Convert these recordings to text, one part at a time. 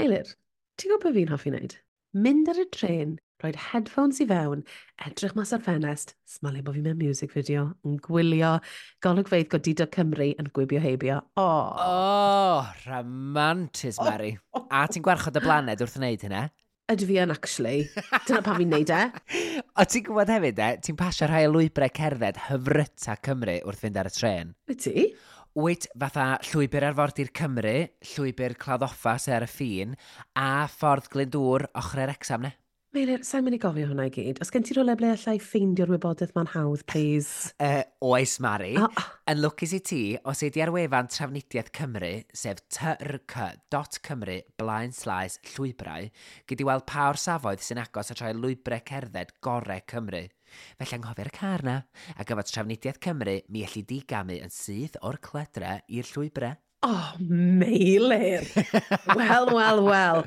Meilir, ti'n gwybod beth fi'n hoffi wneud? Mynd ar y trên, rhoi headphones i fewn, edrych mas ar ffenest, smalio bod fi mewn music video, yn gwylio golygfeydd godidog Cymru yn gwibio heibio. Oh. Oh, rhamantus, Mari. A ti'n gwarchod y blaned wrth wneud hynna? Ydw fi yn, actually. Dyna pam fi'n neud e. O, ti'n gwybod hefyd, e, ti'n pasio rhai o lwybrau cerdded hyfryta Cymru wrth fynd ar y trên. Wyt ti? Wyt, fatha llwybr arfordir Cymru, llwybr Claddoffa sy ar y ffin, a ffordd Glyndŵr ochr yr Wrecsam, ne? Meilir, sa'n mynd i gofio hwnna i gyd. Os gen ti rhywle ble allai ffeindio'r wybodaeth ma'n hawdd, please? Oes, Mari. Oh. Yn lwcus i ti, os ei di ar wefan Trafnidiaeth Cymru, sef trc.cymru blaen slaes llwybrau, gei di weld pa orsafoedd sy'n agos at rhai lwybrau cerdded gorau Cymru. Felly anghofio'r car na, ac efo Trafnidiaeth Cymru, mi elli di gamu yn syth o'r cledre i'r llwybrau. Oh, Meilir! Wel, wel, wel.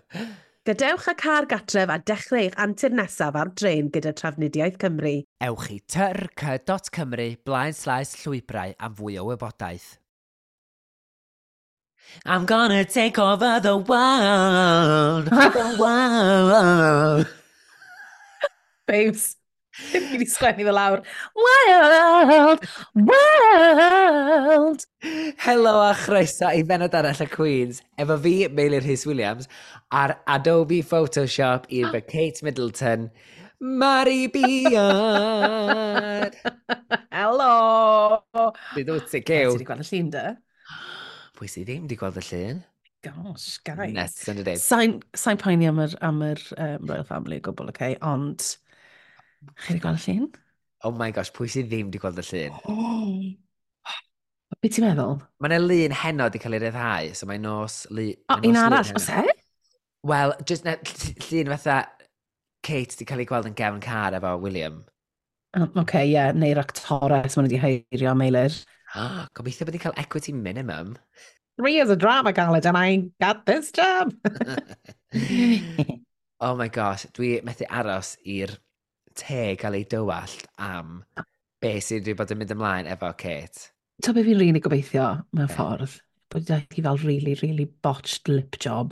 Gadewch y car gatref a dechrau eich antur nesaf ar dren gyda Trafnidiaeth Cymru. Ewch i trc.cymru blaen slaes llwybrau am fwy o wybodaeth. I'm gonna take over the world, the world. Babes, fi wedi sgwennu fe lawr. World, world. Helo a chroeso i benod arall y Queens, efo fi, Meilir Rhys Williams, ar Adobe Photoshop i'r fy Kate Middleton, Mari Beard. Helo. Sut wyt ti, Ti Cyw? wedi gweld y llun, dy? Pwy sydd ddim wedi gweld y llun? Gosh, guys. Nes yn y dweud. Sa'n poeni am yr Royal Family o gwbl, okay? Ond, chi wedi gweld y llun? Oh my gosh, pwy sydd ddim wedi gweld y llun? Oh. Be ti'n meddwl? Mae yna lun heno wedi cael ei ryddhau, so mae nos... Lu, O, mae un nos lun arall, heno. oes e? Wel, just na, llun fatha Kate wedi cael ei gweld yn gefn car efo William. Oh, Oce, ie, yeah, neu'r actores maen nhw wedi heirio, Meilir. Ah, gobeithio bod ni'n cael equity minimum. 3 years of drama college and I got this job. Oh my gosh, dwi methu aros i'r te gael ei dywallt am be sydd wedi bod yn mynd ymlaen efo Kate. To be fi'n really gobeithio mewn Be? ffordd, bod hi fel really, really botched lip job.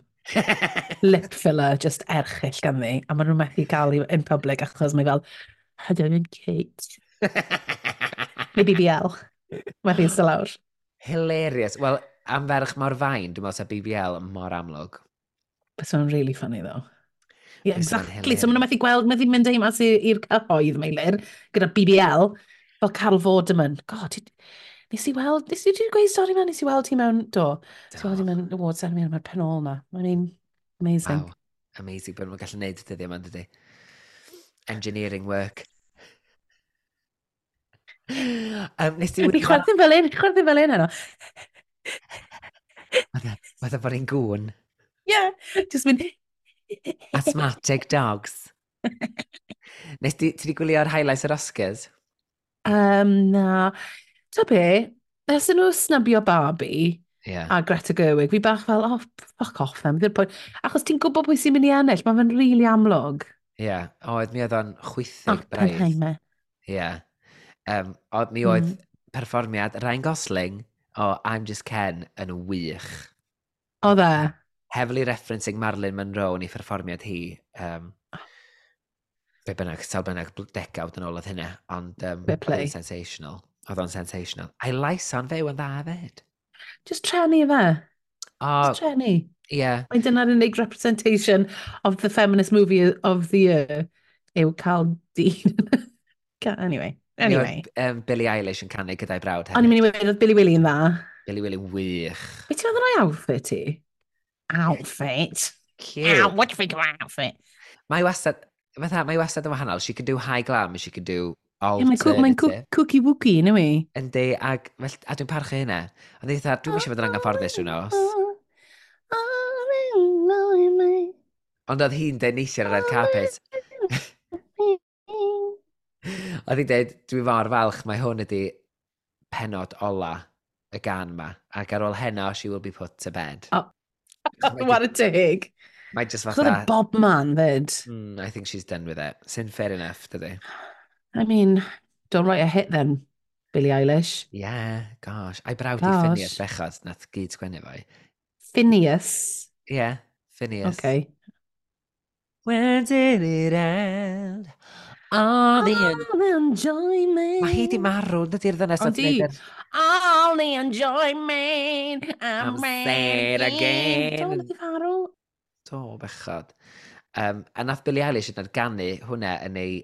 Lip filler, just erchyll ganddi. A maen nhw'n methu cael hi in public achos mae fel, "Hello, I'm Kate." Neu BBL. Methu eistedd lawr. Hilarious. Wel, am ferch mor fain, dwi'n meddwl sa BBL mor amlwg. But so'n really funny though. Yeah, Bysa fo'n exactly. So maen nhw'n methu gweld, methu mynd â hi mas i'r cyhoedd, Meilir, gyda BBL, fel Carol Vorderman. God, nes i weld, nes i ti gweud stori ma, nes i weld hi mewn, do, nes i weld hi mewn award ceremony, mae'r pen ôl na. I mean, amazing. Wow. Amazing bod nhw'n gallu neud y dyddiau yma, dydy. Engineering work. Nes ti Fi chwerthin fel un, chwerthin fel un heno. Fatha bod ni'n gŵn. Yeah, just mynd. Asthmatic dogs. Nes ti di gwylio'r highlights yr Oscars? Na. Ta be, ers nhw snubio Barbie a Greta Gerwig, fi bach fel, "Oh, fuck off them." Ddim point. Achos ti'n gwybod pwy sy'n mynd i ennill, mae fe'n really amlwg. Ie. Yeah. Oedd, mi oedd o'n chwithig braidd. Oppenheimer. Ie. Yeah. Oedd, mi oedd perfformiad Ryan Gosling o I'm Just Ken yn wych. Oedd e? Heavily referencing Marilyn Monroe yn ei pherfformiad hi. Be bynnag, sawl bynnag degawd yn ôl oedd hynna, ond Fair oedd play. o'n sensational. Oedd o'n sensational. A'i lais o'n fyw yn dda hefyd. Just trenu fe. O, Just trenu. ie. Yeah. Mae dyna'r unig representation of the feminist movie of the year yw cael dyn. Anyway, Mi anyway. oedd Billie Eilish yn canu gyda'i brawd O'n i'n hefyd. mynd i weud oedd Billy Willy yn dda. Billy Willy wych. Be ti'n meddwl o'i outfit ti? Outfit? Cute. Ow, what do you think of my outfit? Mae wastad, fatha, mae wastad yn wahanol. She can do high glam, she can do Yeah, mae'n alternative. cookie wookie, yw i? Yndi, ag, fel, a dwi'n parchu hynna. Ond eitha, dwi'n eisiau bod yn anghyfforddus rhyw nos. Ond oedd hi'n deud neithiwr ar y red carpet. Oedd hi'n deud, "Dwi mor falch, mae hwn ydi penod ola y gan ma. Ac ar ôl heno, she will be put to bed." Oh. What a dig. Mae just Oedd e fatha, Bob man fyd. I think she's done with it." Sy'n fair enough, dydy. I mean, don't write a hit then, Billie Eilish. Yeah, gosh. A'i brawd i Phineas Gosh. bechod, nath gyd sgwennu fo. Phineas. Yeah, Phineas. Okay. When did it end? All the... All the enjoyment. Mae hi di marw, dydy'r ddynes. Ond di. All the enjoyment. I'm sad again. Do, nath i farw. Do, bechod. A nath Billie Eilish yn ganu hwnna yn ei...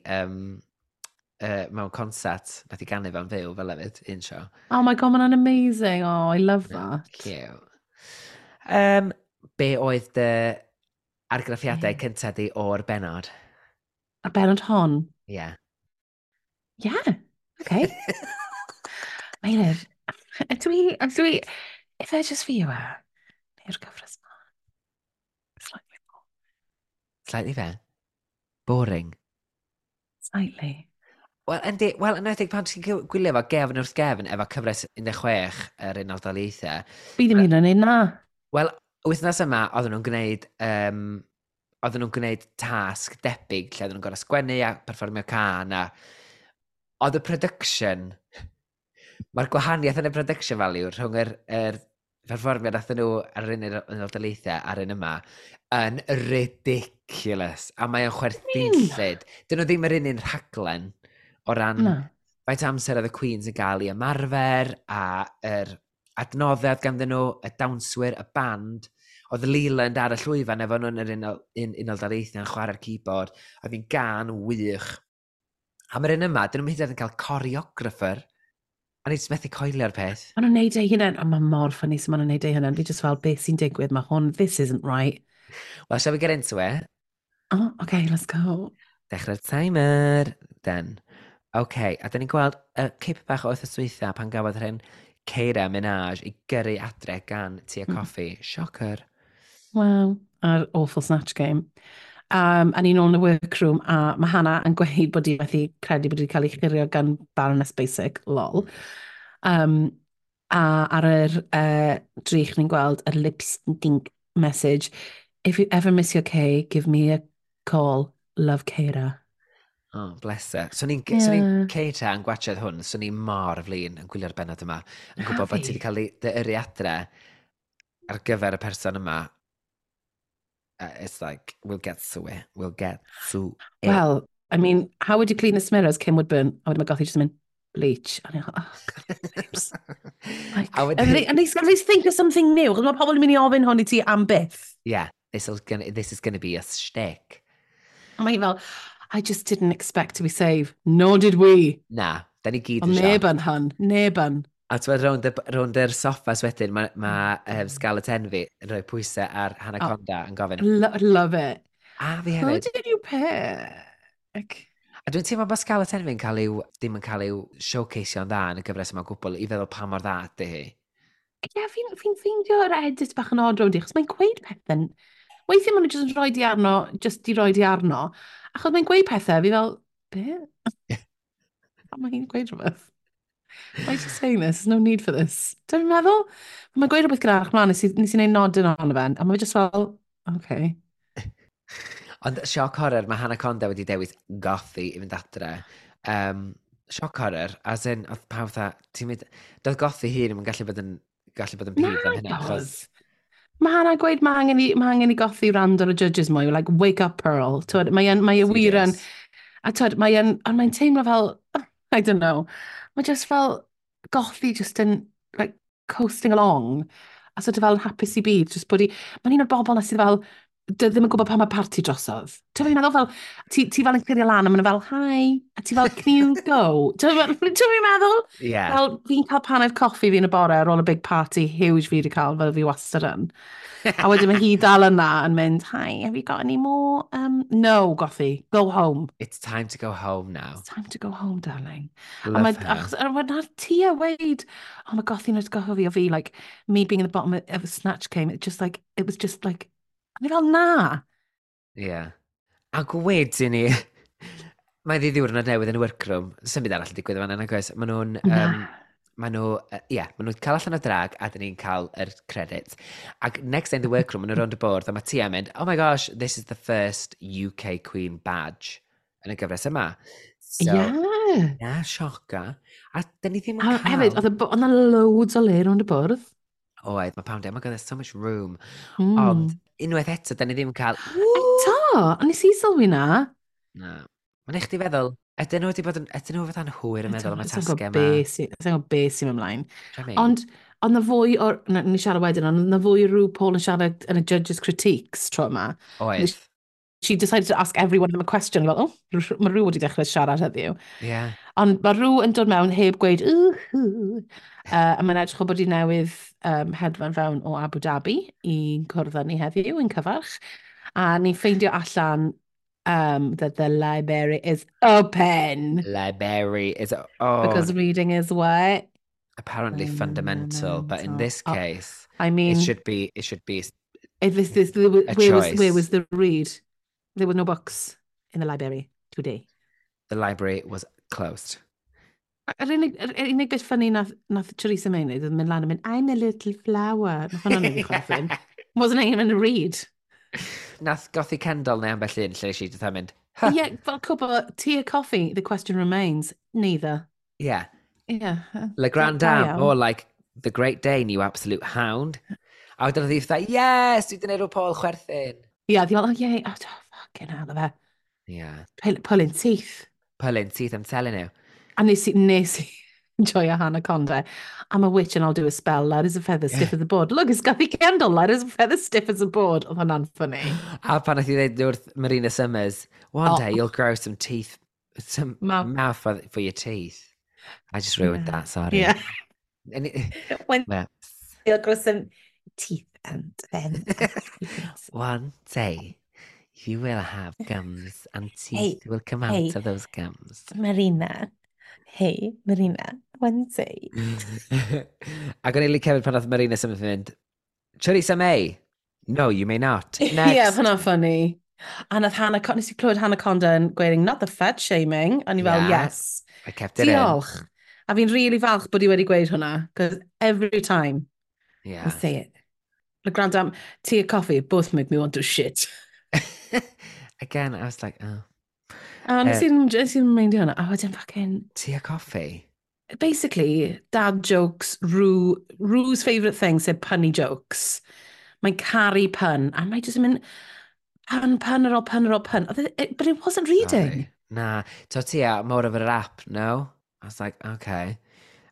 mewn concert, nath i ganu fe'n fyw fel hefyd, un sio. Oh my God, mae'n amazing. Oh, I love that. Cute. Be oedd dy argraffiadau cyntaf di o'r benod? A'r benod hon? Ie. Yeah. Yeah, okay. Meilir, ydw i, if I just fi yw e, neu'r gyfres ma? Slightly more. Slightly fe? Boring. Slightly. Wel, yndi, wel, yn enwedig pan ti'n gwylio fo gefn wrth gefn efo cyfres 16 yr Unol Daleithiau. Fi ddim hyn yn un na. Wel, wythnos yma, oedden nhw'n gwneud, oedden nhw'n gwneud tasg debyg lle oedden nhw'n gorau sgwennu a perfformio can a oedd y production, mae'r gwahaniaeth yn y production value rhwng yr perfformiad nathon nhw ar yr Unol Daleithiau a'r un yma yn ridiculous. A mae o'n chwerthinllyd. Dyn nhw ddim yr un rhaglen o ran faint amser oedd y Queens yn gael i ymarfer a yr adnoddau ganddyn nhw, y dawnswyr, y band. Oedd Leland ar y llwyfan efo nhw yn yr Unol Daleithiau yn chwarae'r keyboard. Oedd hi'n gan wych. A mae'r un yma, dyn nhw'n hyd yn oed yn cael choreographer. A ni jyst methu coelio'r peth. Maen nhw'n neud eu hunain, ond mae mor funny so maen nhw'n neud eu hunain. Fi just fel, beth sy'n digwydd, mae hwn, this isn't right. Well, shall we get into it? Oh, okay, let's go. Dechrau'r timer. Then. OK, a dyn ni'n gweld y cip bach o wythnos dwytha pan gafodd rhywun Keira Minaj i gyrru adre gan Tia Coffee. Shocker. Wow, a'r awful Snatch Game. A ni'n ôl yn y workroom, a mae Hannah yn gweud bod hi methu credu bod hi wedi cael ei churio gan Baroness Basic, lol. A ar yr drych ni'n gweld yr lip sync message, "If you ever miss your K, give me a call. Love, Keira." Oh, bless her. So ni'n so ni Keira yn gwachod hwn, so ni mor flin yn gwylio'r benod yma. Yn gwybod bod ti wedi cael ei dy yrru adre ar gyfer y person yma. It's like, we'll get to it. We'll get to it. Well, I mean, how would you clean this mirror as Kim Woodburn? A wedyn mae Gothy just yn mynd, "Bleach." A ni'n oh, God, babes. Like, A wedyn- at least think of something new. Chos mae pobl yn mynd i ofyn hwn i ti am byth. Yeah, this is gonna be a shtick. A mae hi fel, "I just didn't expect to be saved." Nor did we. Na, da ni gyd Ond yn neb sioc. yn hun, neb yn. A ti'n meddwl rownd yr soffas wedyn, mae Scarlett Envy yn rhoi pwysau ar Hannah Oh. Conda yn gofyn. Love it. A fi "Who hefyd. did you pick?" A dwi'n teimlo bod Scarlett Envy yn cael i'w, ddim yn cael i'w showcaseio'n dda yn y gyfres yma o gwbl i feddwl pa mor dda ydy hi. Ie, yeah, fi ffeindio'r edit bach yn odd rownd i, achos mae'n gweud pethau. Weithiau maen nhw jyst yn rhoi di arno, just di rhoi di arno, achos mae'n gweud pethau, fi fel, "Be? Pam mae hi'n gweud rhywbeth? Why is she saying this? There's no need for this." Dwi'n meddwl, mae'n gweud rhywbeth gyda'r mlaen, nes i wneud nodyn ohono fe, a mae'n just fel, "Okay." Ond shock horror, mae Hannah Conda wedi dewis Gothy i fynd adre. Shock horror, as in, oedd pawb fatha, ti'n mynd, doedd Gothy hun ddim yn gallu bod yn peeved am hynna, achos Doedd. Mae Hannah gweud mae angen i Gothy wrando ar y judges mwy, like, "Wake up, Pearl." Twyd, mae e wir yn, Serious. a twyd, ond mae'n teimlo fel, I don't know, mae just fel Gothy just yn, like, coasting along, a sort of fel yn hapus i byd, just bod i, mae'n un o'r bobl na sydd fel, ddim yn gwybod pan mae parti drosodd. Ti'n fi'n meddwl fel, ti fel yn clirio lan a maen nhw fel, "Hi," a ti fel, "Can you go?" Ti'n fi'n meddwl? Yeah. Fel, fi'n cael paned coffi fi yn y bore ar ôl y big party huge fi wedi cael, fel fi wastad yn. A wedyn mae hi dal yna yn mynd, "Hi, have you got any more?" "No, Gothy, go home." It's time to go home now. It's time to go home, darling. Love A mae, her. achos, a mae na'r Tia weid, oh, mae Gothy'n atgoffa fi o fi, like, me being in the bottom of a Snatch Game, it was just like, a ni fel, "Na." Yeah. Ac wedyn ni, mae ddi ddiwrnod newydd yn y workroom. Symud arall yn digwydd fan yna, oes. Maen nhw'n, Na. Maen nhw'n cael allan o drag a dyn ni'n cael yr credits. Ac next day in the workroom, maen nhw'n rownd y bwrdd a mae Tia yn mynd, "Oh my gosh, this is the first UK Queen badge yn y gyfres yma." So, yeah, sioca. A dyn ni ddim yn A cael. hefyd, oedd 'na loads o le rownd y bwrdd. Oedd, mae pawb, oh my God, there's so much room. Ond Unwaith eto, da ni ddim yn cael... Eto, a nes i sylwi na. Na. Mae'n eich di feddwl, ydyn nhw wedi bod yn... Ydyn nhw fatha'n hwyr yn meddwl am y tasgau yma? Sa'n gwybod beth sy'n ymlaen. Ond, ond na fwy o'r... Na, ni siarad wedyn, ond na fwy o rhyw Paul yn siarad yn y judges' critiques tro yma. Oedd. She decided to ask every one of them a question. Fel, oh, mae rhyw wedi dechrau siarad heddiw. Yeah. Ond mae rhyw yn dod mewn heb gweud, who. A mae'n edrych o bod i newydd hedfan fewn o Abu Dhabi i cwrdd â ni heddiw yn cyfarch. A ni'n ffeindio allan that the library is open. Library is oh. Because reading is what? Apparently fundamental, but in this case, oh, I mean, it should be if this, this, there, a where, choice. Was, where was the read? There were no books in the library today. The library was closed. Yr unig bit funny nath Theresa May wneud oedd mynd lan a mynd, "I'm a little flower." Nath hwnna'n neud i chwerthin. Wasn't even a read. Nath Gothy Kendall neu ambell un lle nes i dod mynd, "Huh." Yeah, fel cwbl, tea or coffee, the question remains. Neither. Yeah. Le Grand Da Dame, iawn. More like the Great Dane, you absolute hound. A wedyn oedd hi fatha, "Yes, dwi wedi gwneud rhyw Paul chwerthin." Yeah, di fel, "Oh yeah, oh, fucking hell, fe." Pulling teeth. Pulling teeth, I'm telling you. A nes i enjoy Hannah Conda. "I'm a witch and I'll do a spell. Light as a feather, stiff as a board. Look, it's Gothy Kendall. Light as a feather, stiff as a board." Oedd hwnna'n funny. A pan nath i ddweud wrth Marina Summers, "One day you'll grow some teeth, some Mouth. mouth for your teeth." I just ruined that, sorry. Yeah. And it, When well, you'll grow some teeth and then one day you will have gums and teeth Hey, will come out hey. of those gums. Marina. Hey, Marina. One day. Ac o'n i'n licio hefyd pan nath Marina Summers mynd, "Theresa May, no, you may not. Next." Yeah, hwnna'n funny. A nath Hannah, nes i clywed Hannah Conda yn gweud, "Not the fat shaming." A ni fel, "Yes." I kept it in. Diolch. A fi'n really falch bod i wedi gweud hwnna, because every time I say it. The Grand Dame, tea or coffee, both make me want to shit. Again, I was like, "Oh." A nes i'n meindio hwnna, a wedyn fucking, Tea or coffee? Basically, dad jokes, Ru's favourite thing, sef punny jokes. Mae'n caru pun, a mae jyst yn mynd, pun, pun ar ôl pun ar ôl pun. But it wasn't reading. Sorry. Na, so Tia, more of a rap, no? I was like, "Okay."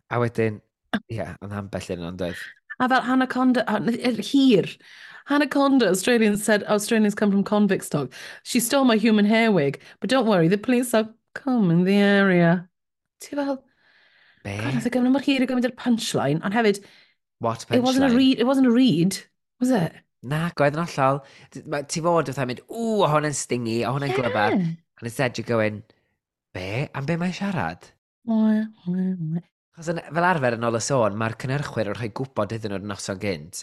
A wedyn, yeah, ond ambell un ond oedd. A fel Hannah Conda, hir. Hannah Conda, Australians said Australians come from convict stock. "She stole my human hair wig, but don't worry, the police are come in the area." Ti fel, Be? God, nath e gymryd mor hir i gymryd yr punchline, ond hefyd, What it wasn't a punchline? read, it wasn't a read, was it? Na, gwedd yn hollol. Ti fod fatha mynd, "Ww, o hwnna'n stingy, o hwnna'n glyfar." And instead you're going, "Be? Am be mae'n siarad?" Wah, wah, wah. Achos fel arfer yn ôl y sôn, mae'r cynhyrchwyr yn rhoi gwybod iddyn nhw'r noson gynt,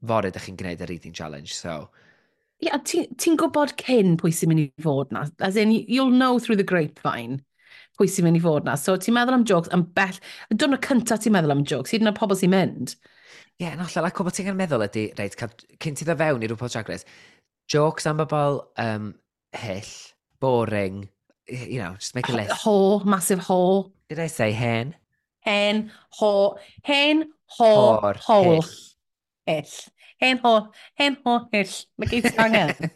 "Fory ydych chi'n gwneud y reading challenge," so. Yeah, ti'n ti gwybod cyn pwy sy'n mynd i fod na. As in, you'll know through the grapevine pwy sy'n mynd i fod na. So ti'n meddwl am jokes am bell. Y diwrnod cyntaf ti'n meddwl am jokes, hyd yn oed pobl sy'n mynd. Ie, yeah, yn hollol, ac o bod ti'n meddwl ydy, reit, cael, cyn ti ddod fewn i RuPaul's Drag Race, jokes am bobl hyll, boring, just make a list. Ho, massive ho. Did I say hen? Hen, ho, hen, ho, Whore, hole. hyll. Hyll. Hen, ho, hen, ho, hyll. Mae gyd ti angen.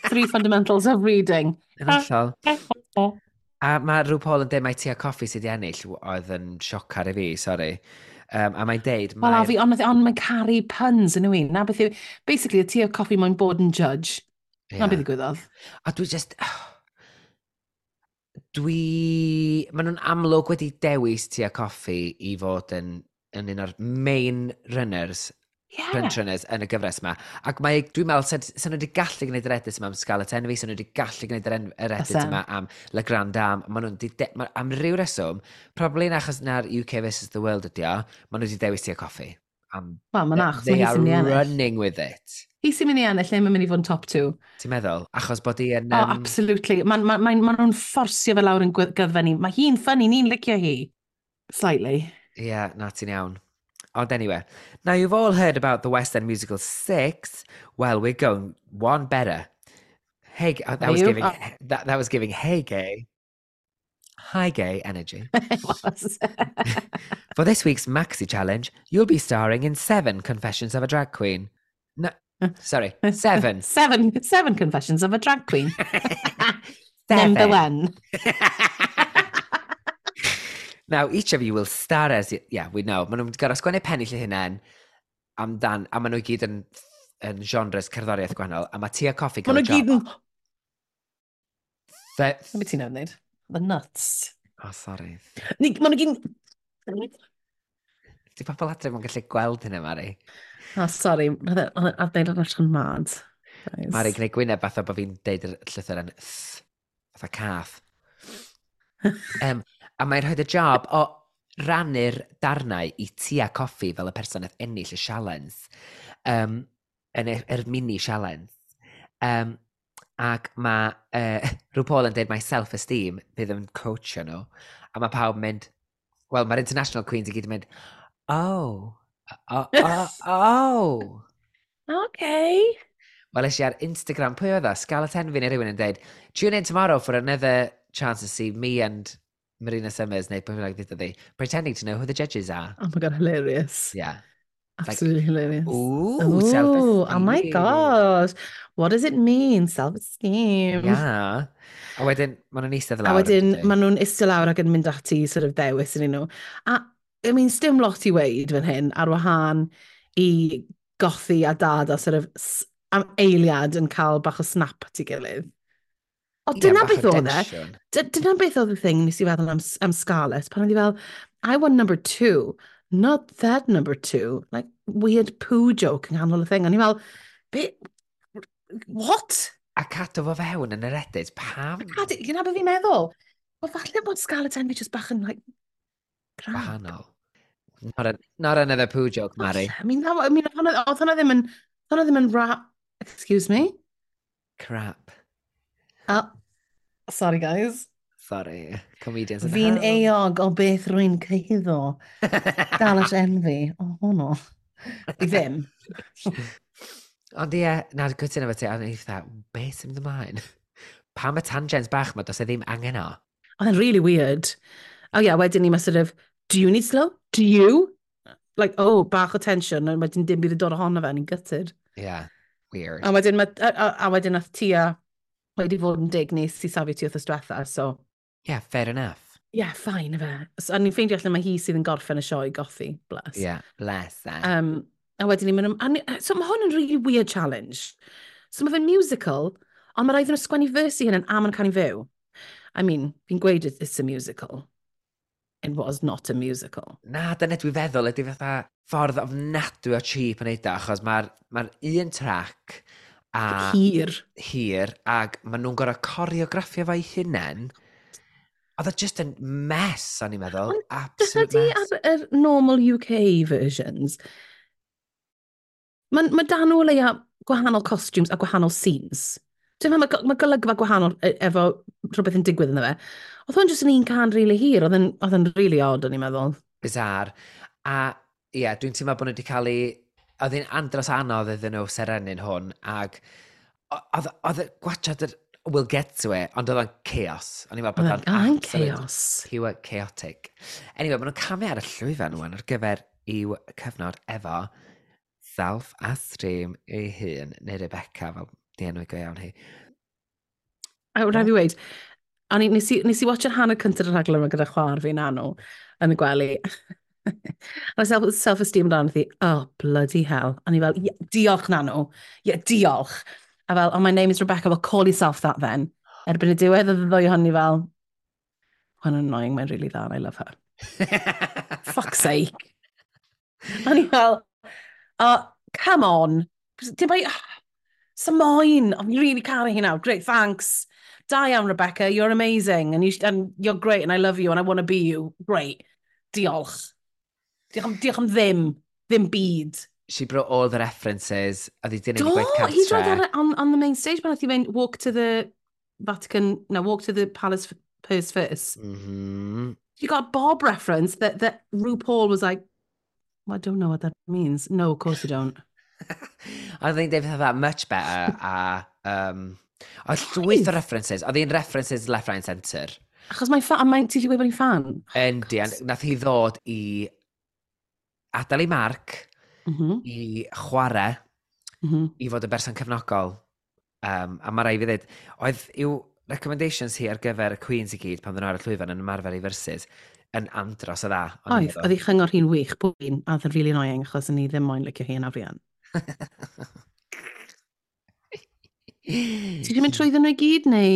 Three fundamentals of reading. Yn hollol. Hen, ho. A mae RuPaul yn dweud mai Tia Kofi sydd wedi ennill, oedd yn siocar i fi, sorry. A mae'n deud, Wel, a fi, ond mae'n caru puns yn yw. Na beth yw, basically, y Tia Kofi mae'n bod yn judge. Na beth ddigwyddodd. A dwi just... Dwi... Maen nhw'n amlwg wedi dewis Tia Kofi i fod yn un o'r main runners, front runners yn y gyfres yma. Ac mae, dwi'n meddwl, sa nhw wedi gallu gwneud yr edit yma am Scarlett Envy, sa nhw wedi gallu gwneud yr edit Fysa. yma am Le Grand Dame. Maen nhw'n di am ryw reswm, probably yn achos na'r UK versus the World ydi o, maen nhw wedi dewis Tia Kofi. Am, Wel, mae'n achos, they mae hi are sy'n mynd i ennill. running with it. Hi sy'n mynd i ennill, neu mae'n mynd i fod yn top two. Ti'n meddwl? Achos bod hi yn... Oh, absolutely. Mae ma nhw'n fforsio fe lawr yn gyddfe ni. Mae hi'n funny, ni'n licio hi. Slightly. Yeah, na, ti'n iawn. Ond anyway, now you've all heard about the West End musical Six. Well, we're going one better. Hey, oh, that Are was you? giving Oh. that was giving hey gay, hi gay energy. It was. For this week's Maxi Challenge, you'll be starring in seven Confessions of a Drag Queen. No, Sorry, seven. Seven confessions of a drag queen. Number one. Now, each of you will star as... Yeah, we know. Maen nhw'n gorfod sgwennu pennill eu hunain amdan, a maen nhw i gyd yn genres cerddoriaeth gwahanol, a mae Tia Kofi gael y job. Maen nhw gyd yn... Be ti'n wneud? The nuts. Oh, sorry. Maen nhw gyd yn... Di pobl adre mae'n gallu gweld hynny, Mari. Oh, sorry. I've made it yn mad. Mari, gwneud gwyneb fatha bod fi'n deud yr llythyr yn th, fatha cath. A mae'n rhoi y job o rannu'r darnau i Tia Kofi fel y person nath ennill y sialens. Yn yr mini sialens. Ac mae RuPaul yn deud mae self-esteem bydd yn coachio nhw. A mae pawb yn mynd, wel, mae'r International Queens i gyd yn mynd, oh, oh, oh, oh. Okay. Wel, es i ar Instagram, pwy oedd o? Scarlett Envy neu rhywun yn deud, "Tune in tomorrow for another chance to see me and Marina Summers," neu pwy bynnag ddeuddodd hi, "pretending to know who the judges are." Oh my God, hilarious. Yeah. Absolutely like, hilarious. Ooh, self-esteem. Oh my God. What does it mean? Self-esteem. Yeah. A wedyn, maen nhw'n eistedd lawr. A wedyn, maen nhw'n eistedd lawr ac yn mynd ati sort of dewis yn nhw. A, I mean, sdim lot i weud fan hyn ar wahân i Gothy a Dada sort of am eiliad yn cael bach o snap at ei gilydd. O, dyna beth oedd e. Dyna beth oedd y thing nes i feddwl am Scarlett, pan oedd hi fel, "I want number two, not that number two." Like, weird poo joke yng nghanol y thing. A ni fel, be, what? A cadw fo fewn yn yr edit, pam? Cadw, gyda beth fi'n meddwl. Wel, falle bod Scarlett Envy just bach yn, like, crap. Wahanol. Not another poo joke, Mari. I mean, that, I mean, oedd hwnna ddim yn, hwnna ddim yn rap. Excuse me? Crap. Oh, sorry, guys. Sorry, comedians in the Fi'n euog o beth rwy'n cyhuddo. Scarlett Envy. O, hwnnw. Fi ddim. Ond ie, na, gytuno efo ti, a o'n i fatha, beth sy'n mynd ymlaen? Pam y tangents bach ma, does e ddim angen o? Oedd e'n really weird. Oh yeah, wedyn ni mae sort of, "Do you need slow? Do you?" Like, oh, bach o tension, a wedyn dim byd yn dod ohono fe, ni'n gutted. Yeah, weird. A wedyn nath Tia wedi fod yn dig nes i safio ti wrth diwetha, so Yeah, fair enough. Yeah, fine, efe. So, a ni'n ffeindio allan mae hi sydd yn gorffen y sioe Gothy, bless. Yeah, bless her. A wedyn ni'n mynd, so mae hwn yn really weird challenge. So mae fe'n musical, ond mae rhaid nhw sgwennu verse i hyn a ma'n canu fyw. I mean, fi'n gweud it's a musical. It was not a musical. Na, dyna dwi'n feddwl ydy fatha ffordd ofnadwy o cheap yn neud o, achos mae'r ma un track a Hir. Hir, ac maen nhw'n gorfod coreograffio fo'i hunain. Oedd o just yn mess, o'n i'n meddwl. Ond Absolute dyna mess. Ar yr normal UK versions, mae ma dan nhw o leia gwahanol costumes a gwahanol scenes. Ti'n meddwl, mae golygfa gwahanol efo rhywbeth yn digwydd ynddo fe. Oedd hwn jyst yn un can really hir, oedd yn really odd, o'n i'n meddwl. Bizarre. A ie, yeah, dwi'n teimlo bod nhw wedi cael ei... Oedd hi'n andros anodd iddyn nhw serennu'n hwn, ac oedd gwachod yr... We'll get to it, ond oedd o'n chaos. O'n i'n meddwl bod Oedd o'n o'n absolute chaos. pure chaotic. Anyway, maen nhw'n camu ar y llwyfan wan ar gyfer i'w cyfnod efo Self-Esteem ei hun, neu Rebecca, fel di enw go iawn hi. A rhaid fi weud, o'n i, nes i watch yr hanner cyntaf y rhaglen yma gyda chwaer fi Nanw yn y gwely. A self-esteem dan hi, "Oh, bloody hell." A ni fel, "Yeah, diolch Nanw, yeah, diolch." A fel, "Oh, my name is Rebecca, well, call yourself that then." Erbyn y diwedd oedd y ddwy ohoni fel, "Mae'n annoying, mae'n really dda, and I love her." Fuck's sake. A ni fel, "Oh, come on. Dim bai, Samoin, oh, fi'n really caru hi nawr. Great, thanks. Da iawn, Rebecca, you're amazing. And you're great, and I love you, and I want to be you. Great. Diolch. Diolch am ddim. Ddim byd. She brought all the references. Oedd hi di wneud Do, i gwaith he tried cartre. that on the main stage pan nath hi fynd, "Walk to the Vatican, no, walk to the palace purse first." She got a Bob reference that RuPaul was like, "Well, I don't know what that means." No, of course you don't. Oedd hi'n deud fatha "much better" a oedd llwyth o references. Oedd hi'n references left, right and centre. Achos mae'n fan, mae'n, ti wedi gweud bod hi'n fan? Yndi, a nath hi ddod i adael ei marc i chwarae. I fod yn berson cefnogol. A mae rai fi ddweud, oedd i'w recommendations hi ar gyfer y Queens i gyd pan ddyn nhw ar y llwyfan yn ymarfer i verses yn andros o dda. O'n i'n Oedd, meddwl. Oedd ei chyngor hi'n wych, pob un, a oedd yn really annoying, achos o'n i ddim moyn licio hi yn arian. Ti wedi mynd trwyddyn nhw i gyd, neu?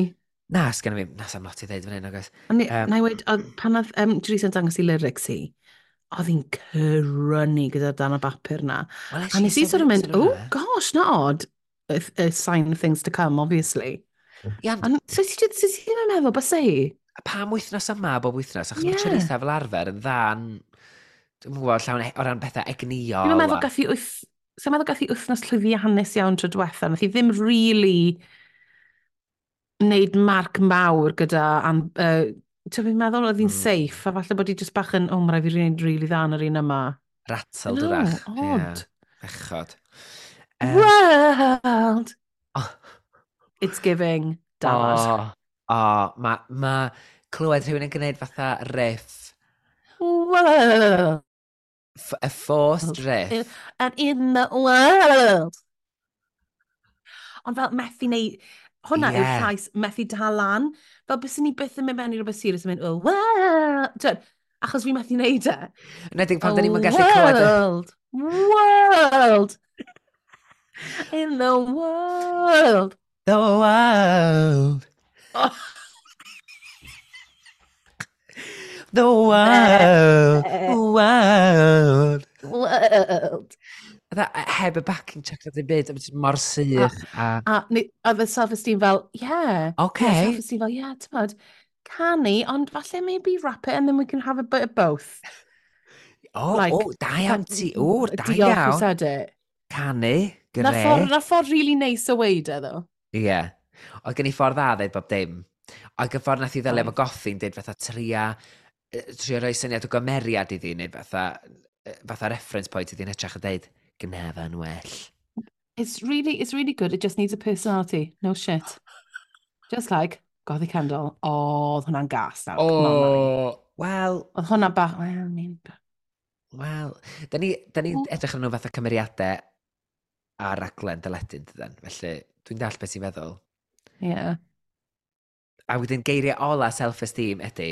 Na, sgan fi, na, sam lot i ddeud fan hyn, agos. Na i weud, pan oedd Teresa yn dangos i lyrics hi, oedd hi'n crynu gyda'r dan o bapur na. Well, A nes i sort of mynd, "Oh gosh, not odd." A sign of things to come, obviously. Ia, ond so ti ddim yn meddwl, bysa hi? Pam wythnos yma bob wythnos? Achos mae Teresa fel arfer yn dda yn, dwi'n gwybod, llawn o ran pethau egnïol. Dwi'n meddwl gath hi Sa'n meddwl gath hi wythnos llwyddiannus iawn tro diwetha. Nath hi ddim really wneud marc mawr gyda... Ti'n fi'n meddwl oedd hi'n safe, a falle bod hi just bach yn, "Oh, mae rhaid fi wneud really dda yn yr un yma." Rattled No, wrach. Odd. Bechod. World! Oh. It's giving dad. Oh, mae ma clywed rhywun yn gwneud fatha riff, World! A forced riff. And in the world! Ond fel methu neu... Hwnna yw'r llais methu dal lan. Fel bys ni byth yn mynd mewn i rhywbeth serious yn mynd, "Oh, world." Twyd, achos fi methu neud e. Yn edrych pan da ni'n gallu clywed World! World! In the world! The world. Oh. The world. World. World. Fatha, heb y backing track na ddim byd, a mor sych. A Oedd y self-esteem fel, yeah. Okay. Yeah, self-esteem fel, yeah, t'mod, canu, ond falle maybe rap it and then we can have a bit of both. O, Like, o, da iawn ti. O, da Diolch who iawn. said it. Canu, gret. Na ffordd really nice o weud e, ddo. Ie. Yeah. Oedd gen i ffordd dda ddeud bob dim. Oedd gen ffordd nath i ddelio efo Gothi'n deud fatha trio rhoi syniad o gymeriad iddi, neu fatha reference point iddi'n hytrach a deud, "Gnefa yn well." It's really good. It just needs a personality. No shit. Just like Gothy Kendall. Oh, oedd hwnna'n gas nawr. Come on, Mari. O, wel, Oedd hwnna bach, well, I mean, wel, da ni edrych ar nhw fatha cymeriadau ar raglen deledu, dydan. Felly, dwi'n dall beth ti'n feddwl. Yeah. A wedyn geiriau ola self-esteem ydy,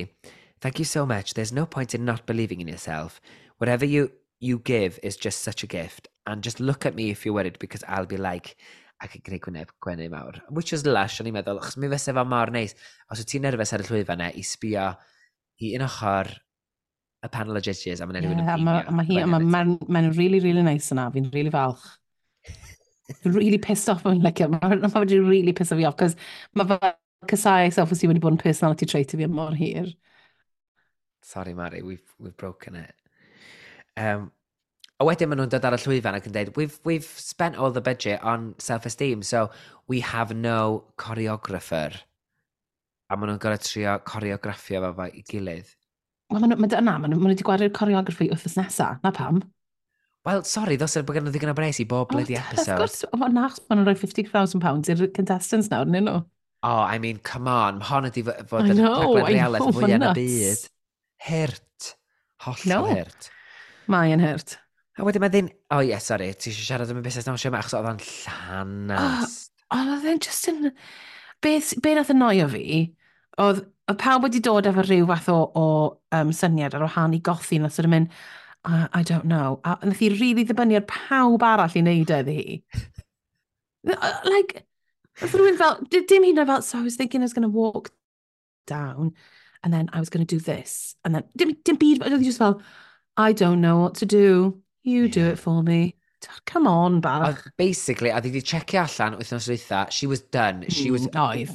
"Thank you so much. There's no point in not believing in yourself. Whatever you give is just such a gift. And just look at me if you're worried because I'll be like," ac yn gwneud gwyneb gwenu mawr. Which was lush, o'n i'n meddwl, achos mi fysa fo mor neis. Os wyt ti'n nerfus ar y llwyfan e, i sbio i un ochr y panel o judges a mae'n rhywun yn Yeah, a ma, beamio. Ma hi, a mae ma really, really nice yna. Fi'n really falch. Fi'n really pissed off yn like, mae ma wedi really piss fi off, cos mae fel casau self-esteem wedi bod yn personality trait i fi am mor hir. Sorry, Mari, we've broken it. A wedyn maen nhw'n dod ar y llwyfan ac yn dweud, We've spent all the budget on self-esteem, so we have no choreographer." A maen nhw'n gorfod trio choreograffio fo i gilydd. Wel, maen nhw, ma, na, ma nhw wedi gwario'r choreography wythnos nesa, na pam. Wel, sorry, ddos bod gen nhw ddigon o bres i bob bloody Wrth episode. gwrs, o, na, achos maen nhw'n rhoi £50,000 i'r contestants nawr, nyn nhw. Oh, I mean, come on, mae hon ydi fod I yn know, rhaglen I reality know, fwyaf yn y ma'n nuts. byd. Hurt. Hollol No. hurt. Mae yn hurt. A wedyn mae ddyn... Oh, yeah, sorry, ti eisiau siarad am y busnes dawnsio yma, achos oedd o'n llanast. Ond oedd e'n just yn... Beth, be nath annoio fi, oedd pawb wedi dod efo rhyw fath o syniad ar wahân i Gothy, nath sort of mynd, "I don't know." A nath hi really ddibynnu ar pawb arall i wneud e iddi hi. Like, oedd rhywun fel, dim hyd yn oed fel, "So I was thinking I was going to walk down, and then I was going to do this." And then, dim byd, oedd hi just fel, "I don't know what to do. You do it for me." Come on, bach. Oedd, basically, oedd hi wedi checio allan wythnos dwytha, she was done. She was... Oedd.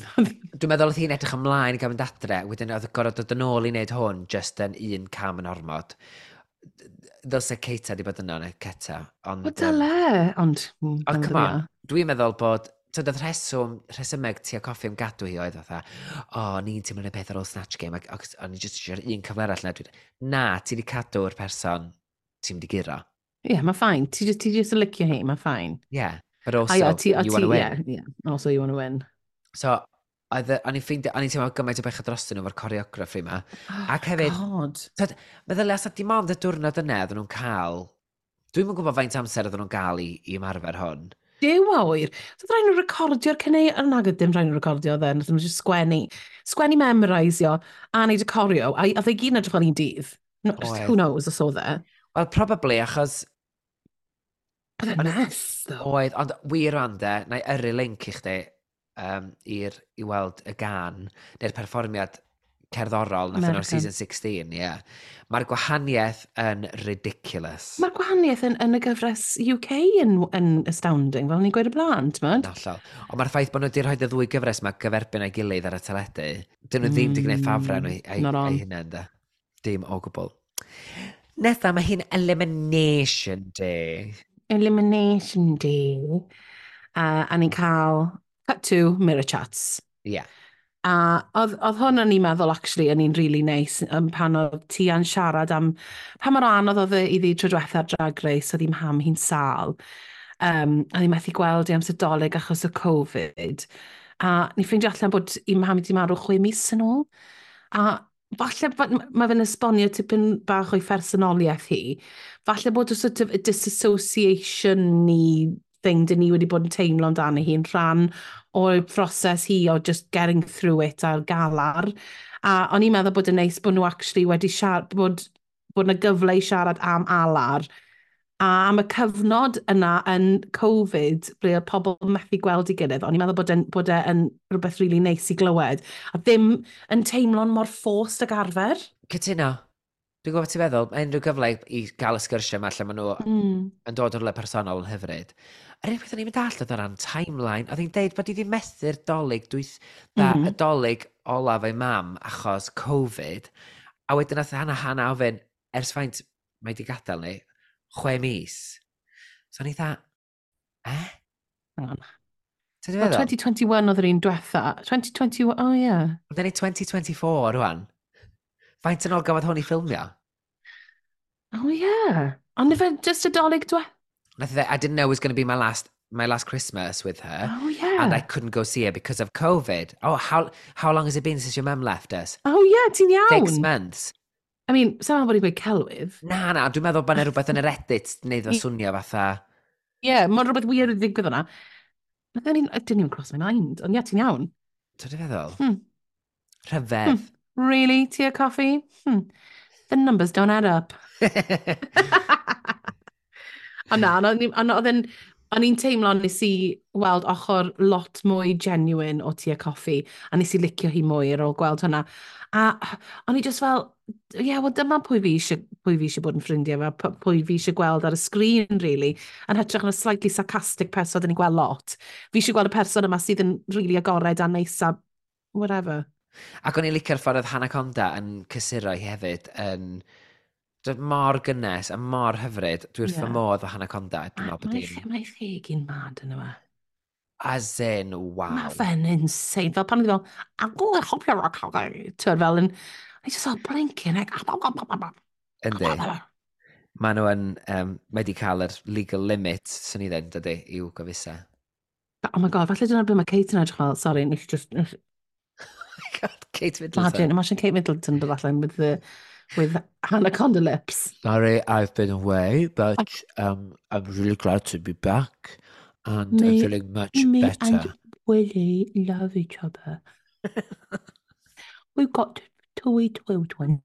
Dwi'n meddwl oedd hi'n edrych ymlaen i gael mynd adre, wedyn oedd gorfod dod yn ôl i wneud hwn just yn un cam yn ormod. Ddylse Keita di bod yno, neu Keta. Ond, O, dyle. Ond, Ond come on, dwi'n meddwl bod, tyd, oedd rhesymeg Tia Kofi am gadw hi oedd fatha, "O, oh, ni'n teimlo'n y peth ar ôl Snatch Game, ac o'n i just eisiau'r un cyfle arall na." Dwi'n, na, ti wedi cadw'r person ti'n mynd i guro. Ie, yeah, mae fine. Ti just yn licio hi, mae fine. Yeah, but also, A ie, ti, a you ti, wanna win. Yeah. Also you want to win. So, o'n i'n ffeindio, o'n i'n teimlo gymaint o bechod drostyn nhw efo'r choreography yma. Oh, Ac hefyd, God. Tyd, meddylia, os dim ond y diwrnod yna oedden nhw'n cael, dwi'n yn gwybod faint amser oedden nhw'n gael i ymarfer hwn. Duw a ŵyr. So oedd rhaid nhw recordio'r cyneu, ond nag oedd dim rhaid nhw recordio then, oedd nhw just sgwennu. Sgwennu memorisio a neud y choreo, a oedd e gyd yn edrych fel un dydd. No, who knows os oedd e. Wel, probably, achos... Oedd e'n mess, though. Oedd, ond wir rwan de, na i yrru link i chdi i weld y gan, neu'r perfformiad cerddorol nath nhw'n season 16, ie. Yeah. Mae'r gwahaniaeth yn ridiculous. Mae'r gwahaniaeth yn y gyfres UK yn astounding, fel ni'n gweud y blaen, ti'n mynd? Hollol. Ond mae'r ffaith bod nhw wedi rhoi y ddwy gyfres yma gyferbyn a'i gilydd ar y teledu, dyn nhw ddim wedi gwneud ffafrau nhw ei hunain, da. Dim o gwbl. Nesa, mae hi'n Elimination Day. Elimination Day. A ni'n cael cut to mirror chats. Yeah. A oedd hwn o'n i'n meddwl, actually, yn un really nice, pan oedd Tia'n siarad am pa mor anodd oedd e iddi tro diwetha'r Drag Race, oedd hi'n ham hi'n sâl. A hi'n methu gweld i amser Dolig achos o Covid. A ni ffeindio allan bod i mam wedi marw 6 mis yn ôl. A falle mae fe'n esbonio tipyn bach o'i phersonoliaeth hi. Falle bod y sort of disassociation ni thing dyn ni wedi bod yn teimlo amdani hi'n rhan o'r proses hi o just getting through it a'r galar. A o'n i'n meddwl bod yn neis bod nhw actually wedi siarad, bod yna gyfle i siarad am alar. A am y cyfnod yna yn Covid, ble oedd pobl methu gweld ei gilydd, o'n i'n meddwl bod e yn rhywbeth really neis i glywed. A ddim yn teimlo'n mor forced ag arfer. Cytuno. Dwi'n gwybod ti'n feddwl, mae unrhyw gyfle i gael y sgyrsiau yma lle maen nhw yn dod o'r le personol yn hyfryd. Yr unig beth o'n i'n mynd all oedd o ran timeline, oedd hi'n deud bod hi wedi methu'r Dolig, dwyth, da, y Dolig olaf ei mam achos Covid, a wedyn nath Hannah ofyn, ers faint mae di gadael ni? 6 mis. So o'n i dda, eh? Hang on. Ti'n Well, feddwl? 2021 oedd yr un diwetha. 2021, oh yeah. Ond ni 2024 rwan. Faint yn ôl gafodd hwn i ffilmio? Oh yeah. Ond ife just y Dolig diwetha? Nath hi ddeud, "I didn't know it was going to be my last Christmas with her." Oh yeah. And I couldn't go see her because of COVID. "Oh, how long has it been since your mum left us?" Oh yeah, ti'n iawn. 6 months. I mean, sa'n meddwl bod i'n gweud celwydd. Na, dwi'n meddwl bod yna rhywbeth yn yr edit wneud o swnio fatha. Yeah, mae'n rhywbeth weird wedi digwydd yna. It didn't even cross my mind. Ond ie, ti'n iawn. Ti'n feddwl? Hmm. Rhyfedd. Really, Tia Kofi? The numbers don't add up. Ond na, ond o'n i'n teimlo nes i weld ochr lot mwy genuine o Tia Kofi, a nes i licio hi mwy ar ôl gweld hwnna. A o'n i just fel, ie, yeah, wel dyma pwy fi eisiau bod yn ffrindiau efo, pwy fi eisiau gweld ar y sgrin, really. Yn hytrach na slightly sarcastic person dyn ni'n gweld lot. Fi eisiau gweld y person yma sydd yn really agored a neis a whatever. Ac o'n i'n licio'r ffordd oedd Hannah Conda yn cysuro hi hefyd yn dod mor gynnes a mor hyfryd. Dwi wrth fy modd o Hannah Conda. Dwi'n meddwl bod Mae hi'n mae cheg hi'n mad yn yma. As in, wow. Mae fe'n insane. Fel pan oedd hi fel, Twyd fel yn, I just fel blinking, like, Yndi. Maen nhw yn, mae wedi cael yr legal limit, swn i ddweud, dydy, i'w gofisa. Oh my God, falle dyna beth mae Kate yn edrych fel, sorry, nes i just, nes, Oh my God, Kate Middleton. Imagine Kate Middleton dod allan with Hannah Conda lips. Sorry, I've been away, but I'm really glad to be back and I'm feeling much Me better. and Willie love each other. We've got two wee children.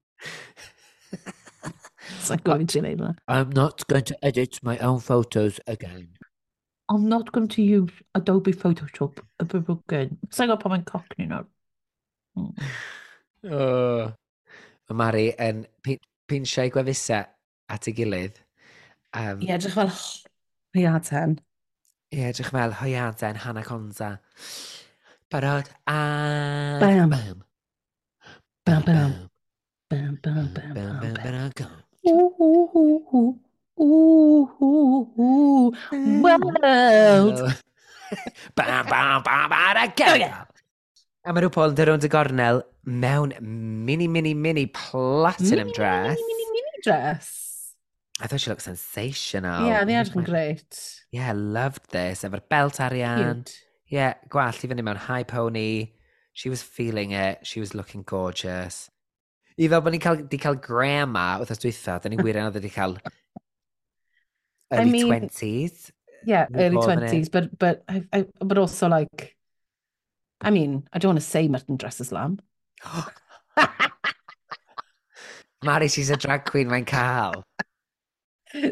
Sa'n gofyn ti'n neud hwnna. I'm not going to edit my own photos again. I'm not going to use Adobe Photoshop ever again. Sa'n gwybod pan mae'n cockney nawr. Mae Mari yn pinsiau gwefusau at ei gilydd. Ie, edrych fel hwyaden. Ie, edrych fel hwyaden Hannah Conda. Barod a Bam. Bam. Bam, bam. Bam, bam, bam, Bam, bam, bam, bam. bam, go. Ooh, ooh, ooh, ooh, ooh, ooh, ooh. World. Bam, bam, bam, bam, a go! A mae RuPaul yn dod rownd y gornel mewn mini, mini, mini platinum Mini, dress. mini, mini, mini dress. I thought she looked sensational. Yeah, they edrych yn great. Yeah, loved this. Efo'r belt arian. Cute. Yeah, gwallt i fyny mewn high pony. She was feeling it. She was looking gorgeous. I fel bod ni'n cael, di cael grandma wythnos dwytha, da ni'n wirioneddol wedi cael I early mean, 20s. Yeah, early RuPaul fan 20s, but also like, I mean, I don't want to say mutton dresses lamb. Mari, she's a drag queen, mae'n cael.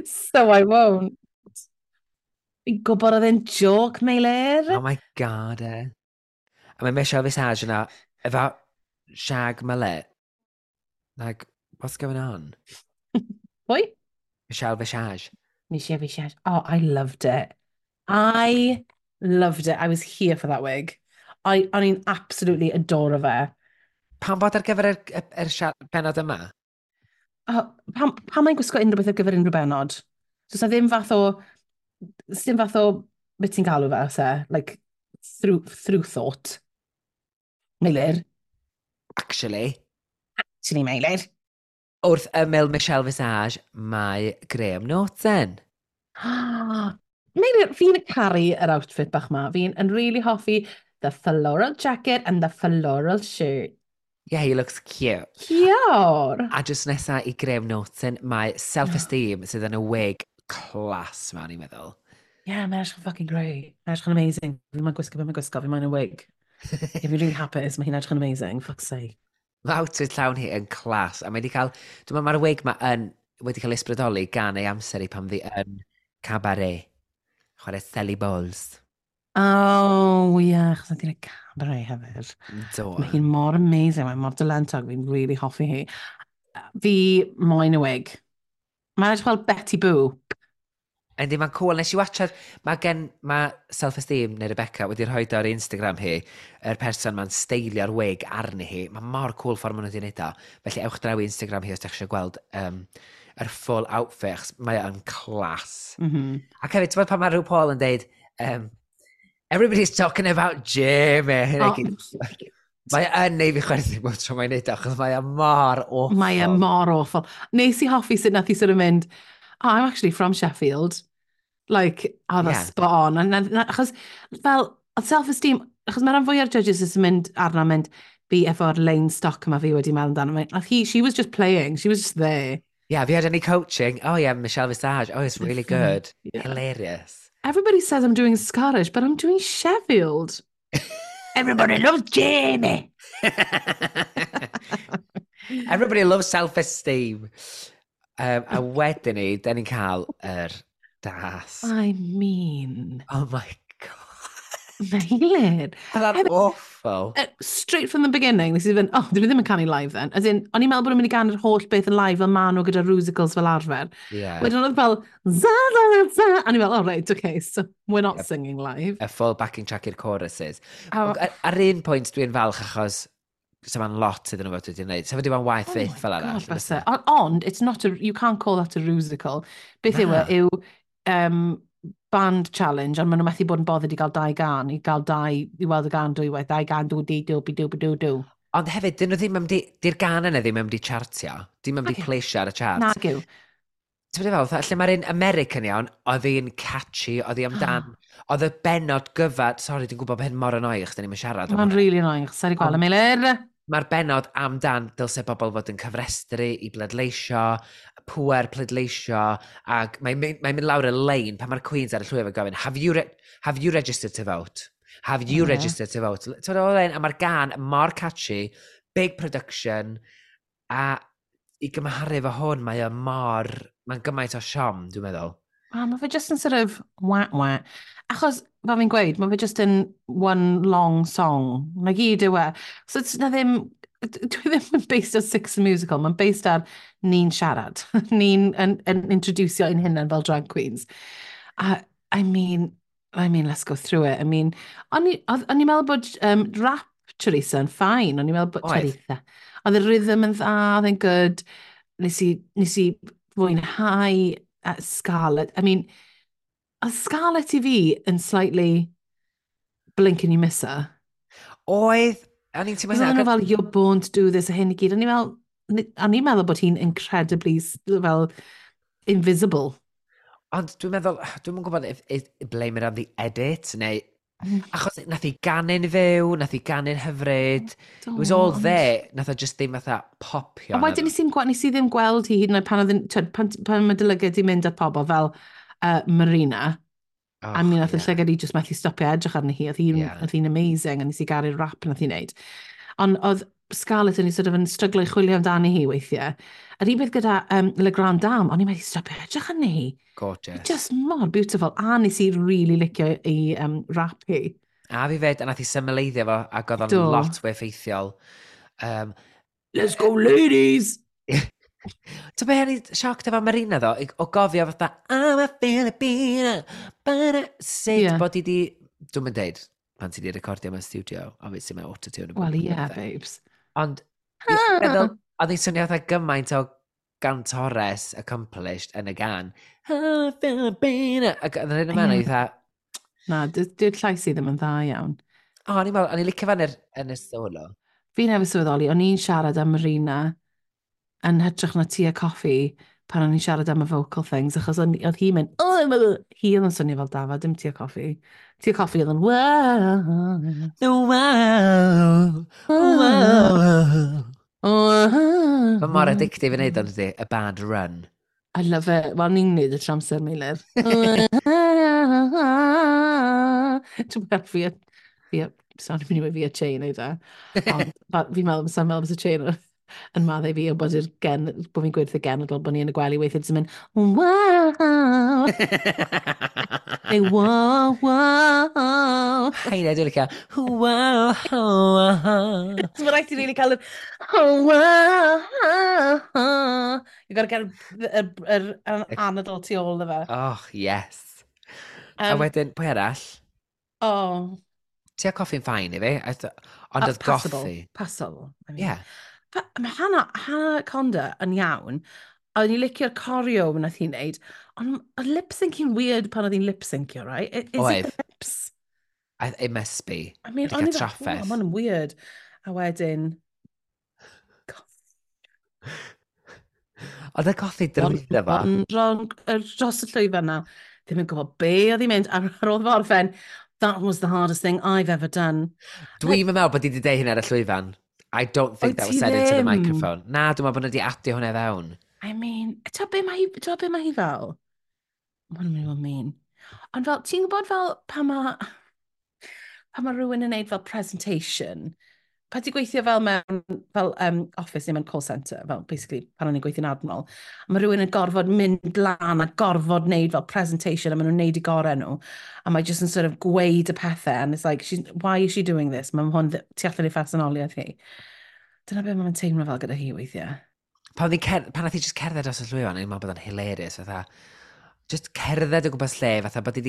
So I won't. Fi'n gwybod oedd e'n joke, Meilir. Oh my God, eh. A mae Michelle Visage yna, efo shag mullet. Like, what's going on? Pwy? Michelle Visage. Michelle Visage. Oh, I loved it. I loved it. I was here for that wig. O'n i'n absolutely adore fe. Pam bod ar gyfer yr benod yma? Oh, pam mae'n gwisgo unrhyw beth ar gyfer unrhyw benod? So, sa ddim fath o... Ddim fath o... Beth ti'n galw fe, se? Like, through thought. Meilir. Actually. Actually, Meilir. Wrth ymyl Michelle Visage, mae Graham Norton. Meilir, fi'n caru yr outfit bach ma. Fi'n yn really hoffi the floral jacket and the floral shirt. Yeah, he looks cute. Cute! A just nesa i Graham Norton, mae Self-Esteem sydd yn y wig class ma, ni'n meddwl. Yeah, mae'n edrych yn fucking great. Mae'n edrych yn amazing. Fi'n mae'n gwisgo, fi'n mae'n gwisgo, fi'n mae'n y wig. Yeah, fi'n really hapus, mae hi'n edrych yn amazing, fuck's sake. Mae outfit llawn hi yn class, a mae wedi cael, dwi'n meddwl mae'r wig ma yn, wedi cael ysbrydoli gan ei amser i pan ddi yn cabaret. Chwarae Sally Bowles. Oh, yeah, achos oedd hi'n y cabaret hefyd. Do. Mae hi'n mor amazing, mae'n mor dalentog, fi'n really hoffi hi. Fi moyn y wig. Mae'n edrych fel Betty Boop. Yndi, mae'n cool. Nes i watchad, mae Self-Esteem neu Rebecca wedi rhoi ar Instagram hi, yr person ma'n steilio'r wig arni hi. Mae mor cool ffordd maen nhw wedi gwneud o. Felly ewch draw i Instagram hi os ydych eisiau gweld yr full outfit, achos mae o'n class. Ac hefyd, ti'n gwbod pan mae RuPaul Paul yn deud, "Everybody's talking about Jamie." Oh, Mae yn neud fi chwerthin bob tro mae'n neud o, achos mae o mor awful. Mae e mor awful. Nes i hoffi sut nath i sort of mynd, "Oh, I'm actually from Sheffield." Like, oh, that's spot on. And achos, fel, oedd Self-Esteem, achos mae rhan fwy o'r judges sy'n mynd arno mynd, fi efo'r lein stock yma fi wedi meddwl amdano. Nath hi, she was just playing, she was just there. Yeah, have you had any coaching? Oh yeah, Michelle Visage. Oh, it's really good. Hilarious. "Everybody says I'm doing Scottish, but I'm doing Sheffield. Everybody loves Jamie." Everybody loves Self-Esteem. A wedyn ni, da ni'n cael yr das. I mean, Oh my God. Meilir. That's awful. Straight from the beginning, nes i fynd, "Oh, dyn nhw ddim yn canu live then." As in, o'n i'n meddwl bod nhw'n mynd i ganu'r holl beth yn live fel maen nhw gyda Rusicals fel arfer. Wedyn oedd fel, za, za, za, a o'n i'n fel, "Oh right, okay, so we're not singing live." A full backing track i'r choruses. Oh, Ar un pwynt dwi'n falch achos so ma'n lot iddyn nhw fod wedi gwneud. So wedi bod yn waith Oh fyth my fel arall. God, byse. Ond, it's not a, you can't call that a Rusical. Beth yw e, Na. yw band challenge, ond maen nhw methu bod yn bothered i gael dau gan, i gael dau, i weld y gan dwywaith, dau gan, dw, di, dw, bi, dw, bi, dw, dw. Ond hefyd, dyn nhw ddim yn di, di'r gan yna ddim yn di chartio. Dim yn di Nag yw. pleisio ar y chart. Nag yw. Ti'n meddwl, fatha, lle mae'r un American iawn, oedd hi'n catchy, oedd hi amdan, oedd y benod gyfad, sorry, dwi'n gwybod bod hyn mor annoying, chos da ni'n siarad am Mae'n hwnna. really annoying, achos sa'i gweld y Meilir. Mae'r benod amdan dylse bobl fod yn cyfrestru i bleidleisio, pwer pleidleisio, ac mae'n mynd lawr y lein pan mae'r Queens ar y llwyfan gofyn, "Have you registered to vote? Have you registered to vote?" Ti'n meddwl, a mae'r gan mor catchy, big production, a i gymharu efo hwn, mae o mor, mae'n gymaint o siom, dwi'n meddwl. Ah, mae fe just yn sort of wah wah. Achos, fel fi'n gweud, mae fe just yn one long song. Na gyd yw e. So, it's na ddim, dwi ddim yn based ar Six Musical, mae'n based ar ni'n siarad. Ni'n yn introducio ein hunain fel drag queens. A, I mean, let's go through it. I mean, o'n i'n meddwl bod rap Teresa yn fine. O'n i'n meddwl bod Oedd. Teresa. Oedd y rhythm yn dda, oedd e'n good. Nes i fwynhau Scarlett. I mean, oedd Scarlett i fi yn slightly blink and you miss her. Oedd, o'n i'n teimlo Oedden nhw hynna, fel, "You're born to do this," a hyn i gyd. O'n i fel, o'n i'n meddwl bod hi'n incredibly, fel, invisible. Ond dwi'n meddwl, dwi'n gwybod if blame it on the edit, neu achos nath hi ganu'n fyw, nath hi ganu'n hyfryd. It was all there, nath o just ddim fatha popio. A wedyn nes i ddim gweld hi hyd yn oed pan oedd yn, twyd, pan mae dy lygad di mynd at pobl fel Marina. Oh, I mean, nath y yeah. llygad i just methu stopio edrych arni hi. Oedd hi'n oedd hi'n amazing, a nes i garu'r rap nath hi wneud. Ond oedd Scarlett yn sort of yn stryglo i chwilio amdani hi weithiau. Yr un peth gyda Le Grand Dame, o'n i'n methu stopio edrych arni hi. Gorgeous. Just mor beautiful. A nes i really licio i rap hi. A fi fed, a nath i symleiddio fo, ac oedd o'n lot fwy effeithiol. Let's go, ladies! Ti'n be, o'n i sioc efo Marina ddo, o gofio fatha, I'm a Filipina, but sut bod i di, dwi'n mynd deud, pan ti di recordio mewn studio, obviously mae autotune. Well, yeah, babes. Ond, meddwl, oedd hi'n swnio fatha gymaint o gantores accomplished yn y gan. I'm a Filipina. Ac oedd yn yma, yeah. Fatha... Na, dyw'r llais i ddim yn dda iawn. O, o'n i'n meddwl, o'n i'n licio fan yn y solo. Fi newydd sylweddoli, o'n i'n siarad am Marina yn hytrach na Tia Coffi pan o'n i'n siarad am y vocal things, achos oedd hi'n mynd, oh, hi oedd yn swnio fel dafad, dim Tia Coffi. Tia Coffi oedd yn, wow, wow, wow. Mae mor addictive i wneud ond ydy, y bad run. I love it. Wel, ni'n neud y tramser, Meilir. Ti'n meddwl, fi, sorry, fi'n mynd fi a Che i wneud e. Ond fi'n meddwl, sa'n meddwl bod y Che yn maddau fi o bod, gen, bod fi'n gweud wrth y genedl bod ni yn y gwely weithiau jyst yn mynd, wow. Neu, wow, wow. Heina, dwi'n licio, wow, wow. So mae rhaid i really cael yr, oh, wow. You've got to get yr anadl tu ôl iddo fe. Oh, yes. A wedyn, pwy arall? Oh. Tia Coffi'n fine i fi, ond oedd Goffi. Passable. I mean. Yeah. Mae Hannah Conda yn iawn. O'n i'n licio'r choreo wnaeth hi'n neud, ond oedd lip-syncing weird pan oedd hi'n lip-syncio, right? Is Oedd. it the lips? It must be. I mean, Wedi o'n cael i fel, trafferth. oh, mae'n weird. A wedyn, Oedd y Goffi drwyddo fo. Dros y llwyfan na, ddim yn gwybod be oedd hi'n mynd, a ar ôl fo orffen, that was the hardest thing I've ever done. Dwi'n meddwl bod hi wedi deud hynna ar y llwyfan. I don't think Wyt that was ti said into the ddim? microphone. Na, dwi'n meddwl bod nhw wedi adio hwnna fewn. I mean, ti'n be mae hi, ti'n be mae hi fel? Mae hwn yn mynd i fod yn mean. Ond fel, ti'n gwybod fel pan ma rhywun yn neud fel presentation, pan ti'n gweithio fel mewn fel, office neu mewn call centre, fel basically pan o'n i'n gweithio'n Admiral, a mae rhywun yn gorfod mynd lan a gorfod neud fel presentation a maen nhw'n neud i gorau nhw, a mae jyst yn sort of gweud y pethau, and it's like, she's, why is she doing this? Mae hwn tu allan i phersonoliaeth hi. Dyna beth mae'n teimlo fel gyda hi weithiau. Pan nath hi just cerdded dros y llwyfan, o'n i'n meddwl bod o'n hilarious, fatha, just cerdded o gwmpas lle, fatha bod i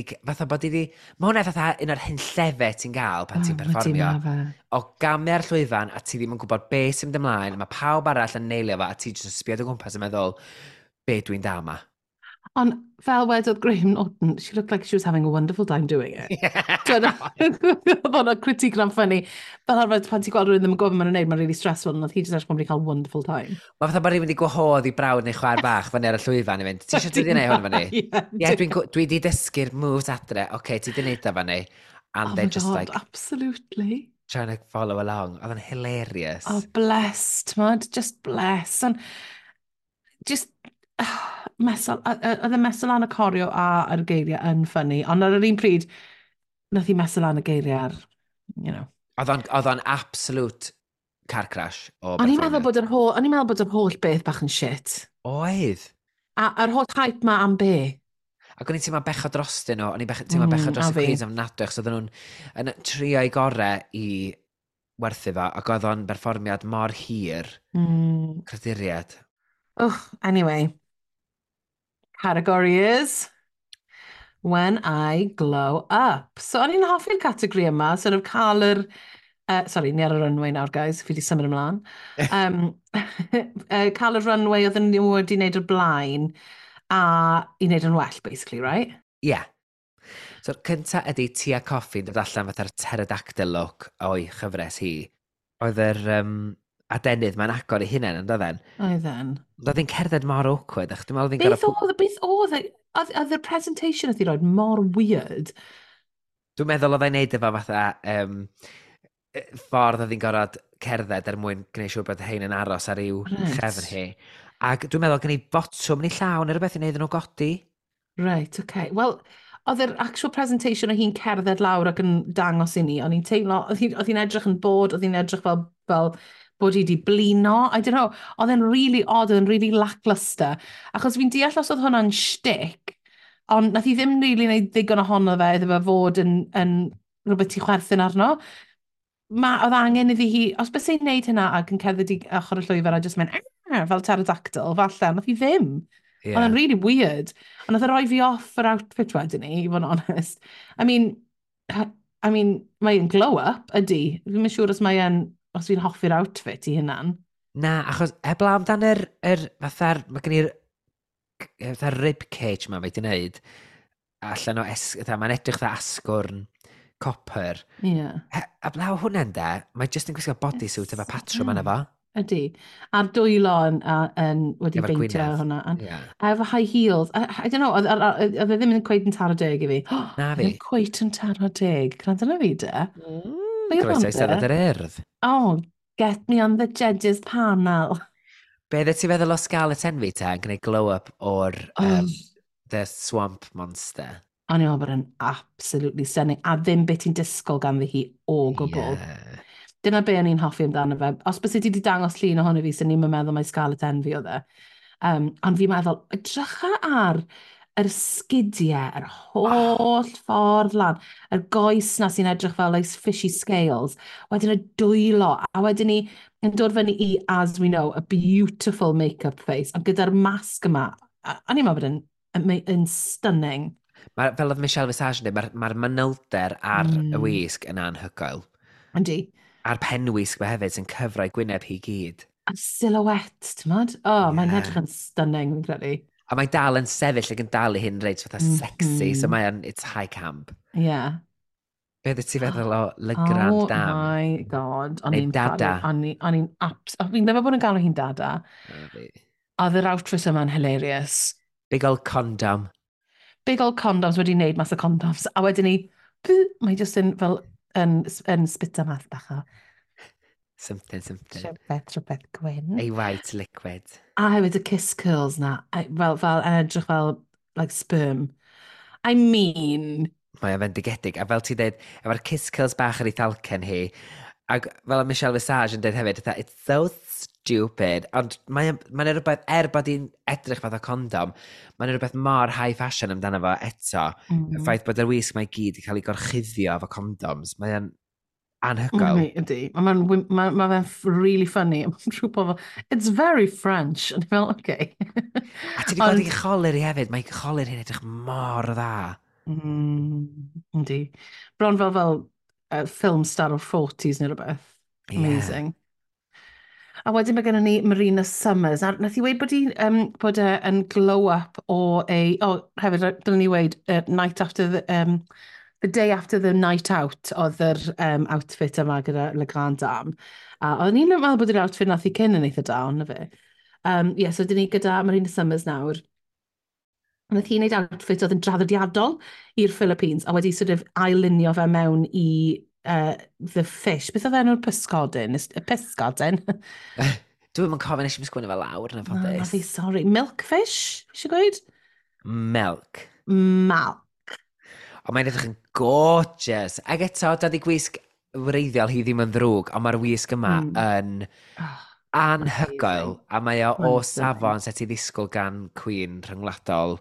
di, mae hwnna fatha un o'r hunllefau ti'n gael pan ti'n Oh, perfformio. ma' fe. O gamu ar llwyfan a ti ddim yn gwybod beth sy'n mynd ymlaen, a mae pawb arall yn neilio fo, a ti jyst yn sbio o gwmpas yn meddwl, be dwi'n dal ma. Ond fel wedodd Graham Norton, she looked like she was having a wonderful time doing it. Oedd hwnna'n critique na'n funny. Fel arfer, pan ti'n gweld rhywun ddim yn gwybod beth maen nhw'n neud, mae'n really stressful, ond oedd hi jyst edrych bod wedi cael wonderful time. Mae fatha bod rhywun wedi gwahodd i brawd neu chwaer bach fyny ar y llwyfan i fynd, ti eisiau dod i wneud hwn fyny? Ie, Ie, dwi di dysgu'r moves adre, oce, okay, ti di wneud o fyny. And Oh they're my just God, like absolutely. trying to follow along. Oedd yn hilarious. Oh, blessed, t'mod? Just bless. And just, mesol, oedd y mesol lan y choreo a yr geiriau yn funny, ond ar yr un pryd, nath hi mesol lan y geiriau ar, you know. Oedd o'n absolute car crash o O'n i'n meddwl berfformiad. bod yr holl, o'n i'n meddwl bod yr holl beth bach yn shit. Oedd. A yr holl hype ma am be? Ac o'n i'n teimlo bechod drostyn nhw, o'n i'n teimlo bechod dros A y fi. Queens ofnadwy, achos oedden nhw'n yn trio eu gorau i werthu fo, ac oedd o'n berfformiad mor hir, creduriad. Ugh, anyway. Category is When I Glow Up. So o'n i'n hoffi'r categori yma, sort of cael yr... Sorry, ni ar y runway nawr, guys, fi wedi symud ymlaen. Cael y runway oedden nhw wedi wneud o'r blaen a i wneud yn well, basically, right? Ie. Yeah. So'r cynta ydy Tia Coffi yn dod allan fatha'r pterodactyl look o'i chyfres hi. Oedd yr adenydd mae'n agor ei hunain yn doedden. Oedden. Ond oedd hi'n cerdded mor awkward, ach dwi'n meddwl oedd hi'n Beth gorfod... oedd, beth oedd, oedd y presentation oedd hi roed mor weird. Dwi'n meddwl oedd e'n neud efo fatha ffordd oedd hi'n gorfod cerdded er mwyn gwneud siŵr bod hein yn aros ar i'w chefn hi. Ac dwi'n meddwl gen i botwm ni llawn neu rhywbeth i wneud nhw godi. Right, okay. Wel, Oedd yr actual presentation o hi'n cerdded lawr ac yn dangos i ni, o'n i'n teimlo, oedd hi'n edrych yn bod, oedd hi'n edrych fel bod hi wedi blino, I don't know, oedd e'n really odd, oedd e'n really lackluster. Achos fi'n deall os oedd hwnna'n shtick, ond nath hi ddim really wneud ddigon ohono fe iddo fe fod yn rhywbeth ti chwerthin arno. Oedd angen iddi hi, os bys hi'n neud hynna ac yn cerdded i ochr y llwyfan a jyst mynd, "Ah," fel pterodactyl, falle, nath hi ddim. Oedd e'n really weird. Ond nath e roi fi off yr outfit wedyn ni, i fod yn honest. I mean, mae'n glow up, ydy. Fi'n siŵr os fi'n hoffi'r outfit i hynna'n. Na, achos heblaw amdan yr fatha'r, mae gen i'r fatha'r rib cage ma mae di wneud, allan o, fatha, mae'n edrych fatha asgwrn copper. Heblaw hwnna'n de, mae jyst yn gwisgo bodysuit efo patrwm yna fo. Ydy. A'r dwylo yn wedi Efo'r beintio gwyneb. hwnna. A efo high heels. I don't know, oedd e ddim yn cweit yn taro deg i fi. Na fi. Ddim cweit yn taro deg. Gwrando na fi, de. Be oedd Croeso i hwn, Steddfod de? yr Urdd. Oh, get me on the judges panel. Be ddeth ti feddwl o Scarlett Envy te yn gwneud glow-up o'r The Swamp Monster? O'n i'n meddwl bod e'n absolutely stunning. A ddim beth ti'n disgwyl ganddi hi o gwbl. Dyna be o'n i'n hoffi amdano fe. Os bys ti wedi dangos llun ohono fi, sy'n ni'n meddwl mai Scarlett Envy oedd e. Ond fi'n meddwl, edrycha ar yr sgidiau, yr holl ffordd lan, yr goes na sy'n edrych fel like fishy scales, wedyn y dwylo, a wedyn ni yn dod fyny i, as we know, a beautiful make-up face, ond gyda'r masg yma, o'n i'n meddwl bod yn stunning. Ma, fel oedd Michelle Visage yn dweud, mae'r ma manylder ar y wisg yn anhygoel. Yndi. A'r penwisg mae hefyd sy'n cyfrau gwyneb hi gyd. A silhouette, ti'n modd? Oh, mae'n edrych yn stunning, fi'n credu. A mae dal yn sefyll ac yn dal i hyn reit fatha sexy, so mae'n, it's high camp. Be ddeth ti feddwl o Le Grand Oh Dame? my God. O'n Neu i'n Dada. O'n i'n fi'n meddwl bod yn galw hi'n Dada. Na fi. Oedd yr outfit yma'n hilarious. Big old condom. Big old condoms wedi wneud mas o condoms. A wedyn ni, mae jyst yn fel yn spita math bach o Something, something. rhywbeth, rhywbeth gwyn. A white liquid. A hefyd y kiss curls na, fel, yn edrych fel, like, sperm. I mean, Mae o'n fendigedig. A fel ti'n dweud, efo'r kiss curls bach ar ei thalcen hi, ac fel oedd Michelle Visage yn dweud hefyd, fatha, "It's so stupid." Ond mae'n mae rhywbeth, er bod hi'n edrych fath o condom, mae'n rhywbeth mor high fashion amdano fo eto. Y ffaith bod yr wisg mae gyd i cael ei gorchuddio efo condoms, mae'n anhygoel. Ydy. Mae'n ma fe'n really funny. Mae'n rhyw fel, "It's very French." O'n i fel, "Okay." A ti wedi gweld ei cholur hi hefyd, mae cholur hi'n edrych mor dda. Yndi. Bron fel film star o'r 40s neu rhywbeth. Amazing. A wedyn mae gennym ni Marina Summers. A nath i weud bod e yn glow up o a... Oh, hefyd, dylen ni weud, night after the... The day after the night out oedd yr outfit yma gyda Le Grand Dame. A oedden ni'n meddwl bod yr outfit nath i cyn yn eitha da, ond na fe. Yeah, so dyn ni gyda Marina Summers nawr. Nath hi wneud outfit oedd yn draddodiadol i'r Philippines a wedi sort of ail-lunio fe mewn i the fish. Beth oedd enw'r pysgodyn? Y pysgodyn? Dwi'n yn cofio, nes i'm sgwennu fel lawr yn Na, na anffodus. fi, sorry. Milkfish? Eisiau gweud? Milk. Milk. Ond mae'n edrych yn gorgeous. Ac eto, dydy gwisg wreiddiol hi ddim yn ddrwg, ond mae'r wisg yma yn Oh, anhygoel. A mae o o Mae'n safon set i ddisgwyl gan Queen rhyngwladol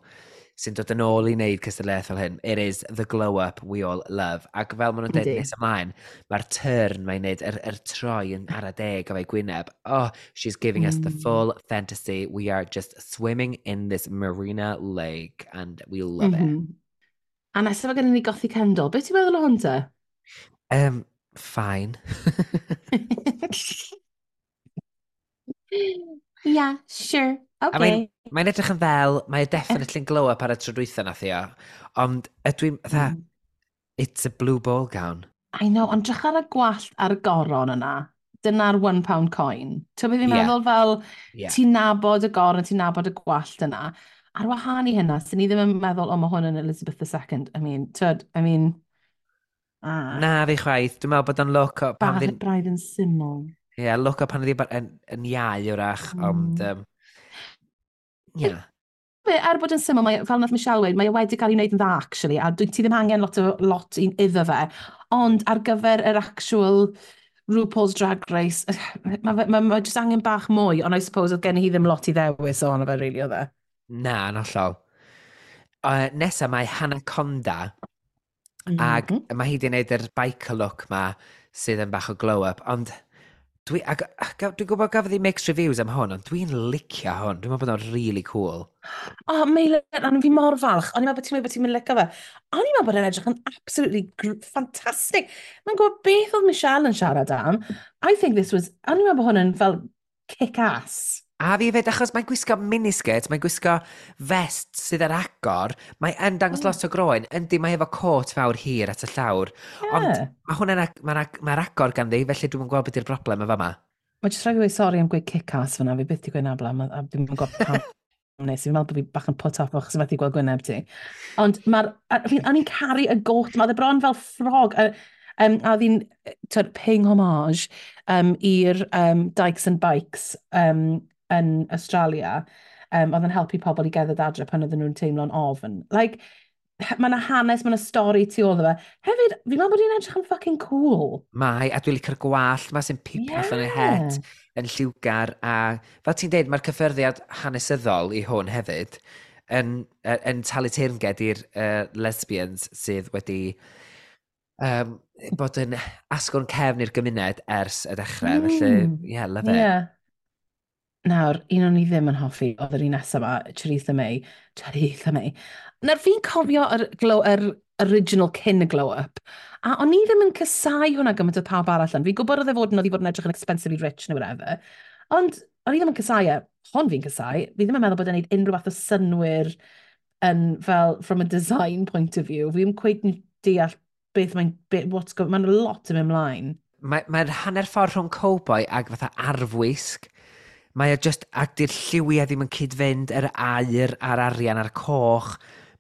sy'n dod yn ôl i wneud cystadleuaeth fel hyn. It is the glow up we all love. Ac fel maen nhw'n dweud nes ymlaen, mae'r turn mae'n neud, yr troi yn ara deg o fe'i gwyneb. Oh, she's giving us the full fantasy. We are just swimming in this Marina Lake and we love it. A nesaf mae gennym ni Gothy Kendall. Beth ti'n meddwl o hwn te? Fine. Yeah, sure, I mean, mae'n edrych yn ddel, mae e definitely yn glow up ar y tro dwytha nath i o, ond ydw i'n, fatha, it's a blue ball gown. I know, ond drych ar y gwallt ar y goron yna. Dyna'r £1 coin. Ti'n beth fi'n meddwl fel, ti'n nabod y goron, ti'n nabod y gwallt yna. Ar wahân i hynna, sy'n ni ddim yn meddwl, "O, mae hwn yn Elizabeth II." I mean, tyd, I mean, ah, Na fi chwaith, dwi'n meddwl bod o'n look o pan braidd, braidd yn syml. Ie, yeah, look o pan oedd hi yn iau wrach, ond, yeah. Be, er bod yn syml, mae, fel nath Michelle weud, mae e wedi cael ei wneud yn dda, actually, a ti ddim angen lot iddo fe. Ond ar gyfer yr actual RuPaul's Drag Race, mae just angen bach mwy, ond I suppose oedd gen hi ddim lot i ddewis ohono fe, really, oedd e. Na, yn hollol. Nesa mae Hannah Conda, ag mae hi wedi gwneud yr biker look ma sydd yn bach o glow-up, ond dwi'n gwybod gafodd hi mixed reviews am hwn, ond dwi'n licio hwn. Dwi'n meddwl bod o'n really cool. O, oh, Meilir, o'n fi mor falch. O'n i'n meddwl bod ti'n meddwl bod ti'n mynd licio fe. O'n i'n meddwl bod e'n edrych yn absolutely fantastic. Mae'n gwybod beth oedd Michelle yn siarad am. I think this was... O'n i'n meddwl bod hwn yn fel kick-ass. A fi hefyd, achos mae'n gwisgo miniskirt, mae'n gwisgo vest sydd ar agor, mae yn dangos lot o groen, yndi mae efo cot fawr hir at y llawr, ond mae hwnna'n mae'r agor ganddi, felly dwi'n gweld beth yw'r broblem efo yma. Mae jyst rhaid i fi weud sori am gweud kick-ass fyna, fi byth di gweud na blaen, a dwi'n gwybod pam nes, fi'n meddwl bod fi bach yn put off achos methu gweld gwyneb ti. Ond mae'r, o'n i'n caru y got, mae e bron fel ffrog, a oedd hi'n twyd, paying homage i'r Dykes and Bikes yn Australia. Oedd yn helpu pobl i gerdded adre pan oedden nhw'n teimlo'n ofn. Like, mae yna hanes, mae yna stori tu ôl iddo fe. Hefyd, fi'n meddwl bod hi'n edrych yn fucking cool. Mae, a dwi'n licio'r gwallt ma sy'n pipio allan ei het yn lliwgar, a fel ti'n deud, mae'r cyffyrddiad hanesyddol i hwn hefyd yn talu teyrnged i'r lesbians sydd wedi bod yn asgwrn cefn i'r gymuned ers y dechrau, felly, yeah, love it. Yeah. Nawr, un o'n i ddim yn hoffi, oedd yr un nesaf yma, Choriza May. Choriza May. Nawr, fi'n cofio yr original cyn y glow up, a o'n i ddim yn casáu hwnna gymaint o pawb arall yn. Fi'n gwybod oedd i fod yn edrych yn expensively rich neu whatever, ond o'n i ddim yn casáu e. Hon fi'n casáu. Fi ddim yn meddwl bod e'n gwneud unrhyw fath o synwyr yn fel from a design point of view. Fi ddim cweit yn deall beth mae'n, what's go, mae'n lot yn mynd ymlaen. Mae'n hanner ffordd rhwng cowboy ag fatha arfwisg. Mae o just, ac di'r lliwiau ddim yn cyd-fynd, yr aur a'r arian a'r coch.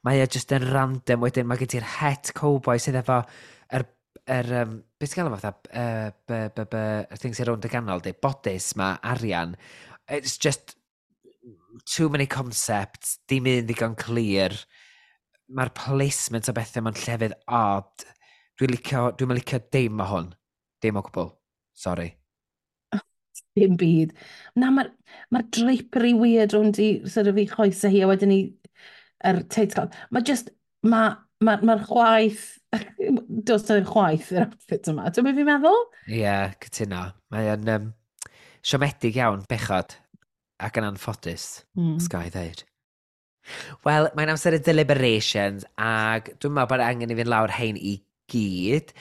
Mae o just yn random. Wedyn mae gen ti'r het cowboy sydd efo yr, beth ti'n gael o fatha, b, b, b, y thing sy'n rownd y ganol, di, bodice ma, arian. It's just too many concepts, dim un ddigon clir. Mae'r placement o bethau mewn llefydd odd. Dwi'n licio dim o hwn. Dim o gwbl. Sorry. Dim byd. Na, mae'r ma drapery weird rownd i, sort of, i choesau hi, a wedyn i yr teitl. Mae just, mae'r ma chwaith, does na ddim chwaith yr outfit yma. Dwi'n beth fi'n meddwl? Ie, yeah, cytuno. Mae yn siomedig iawn, bechod, ac yn anffodus, os ga i ddeud. Wel, mae'n amser y deliberations, ac dwi'n meddwl bod angen i fynd lawr hein i gyd,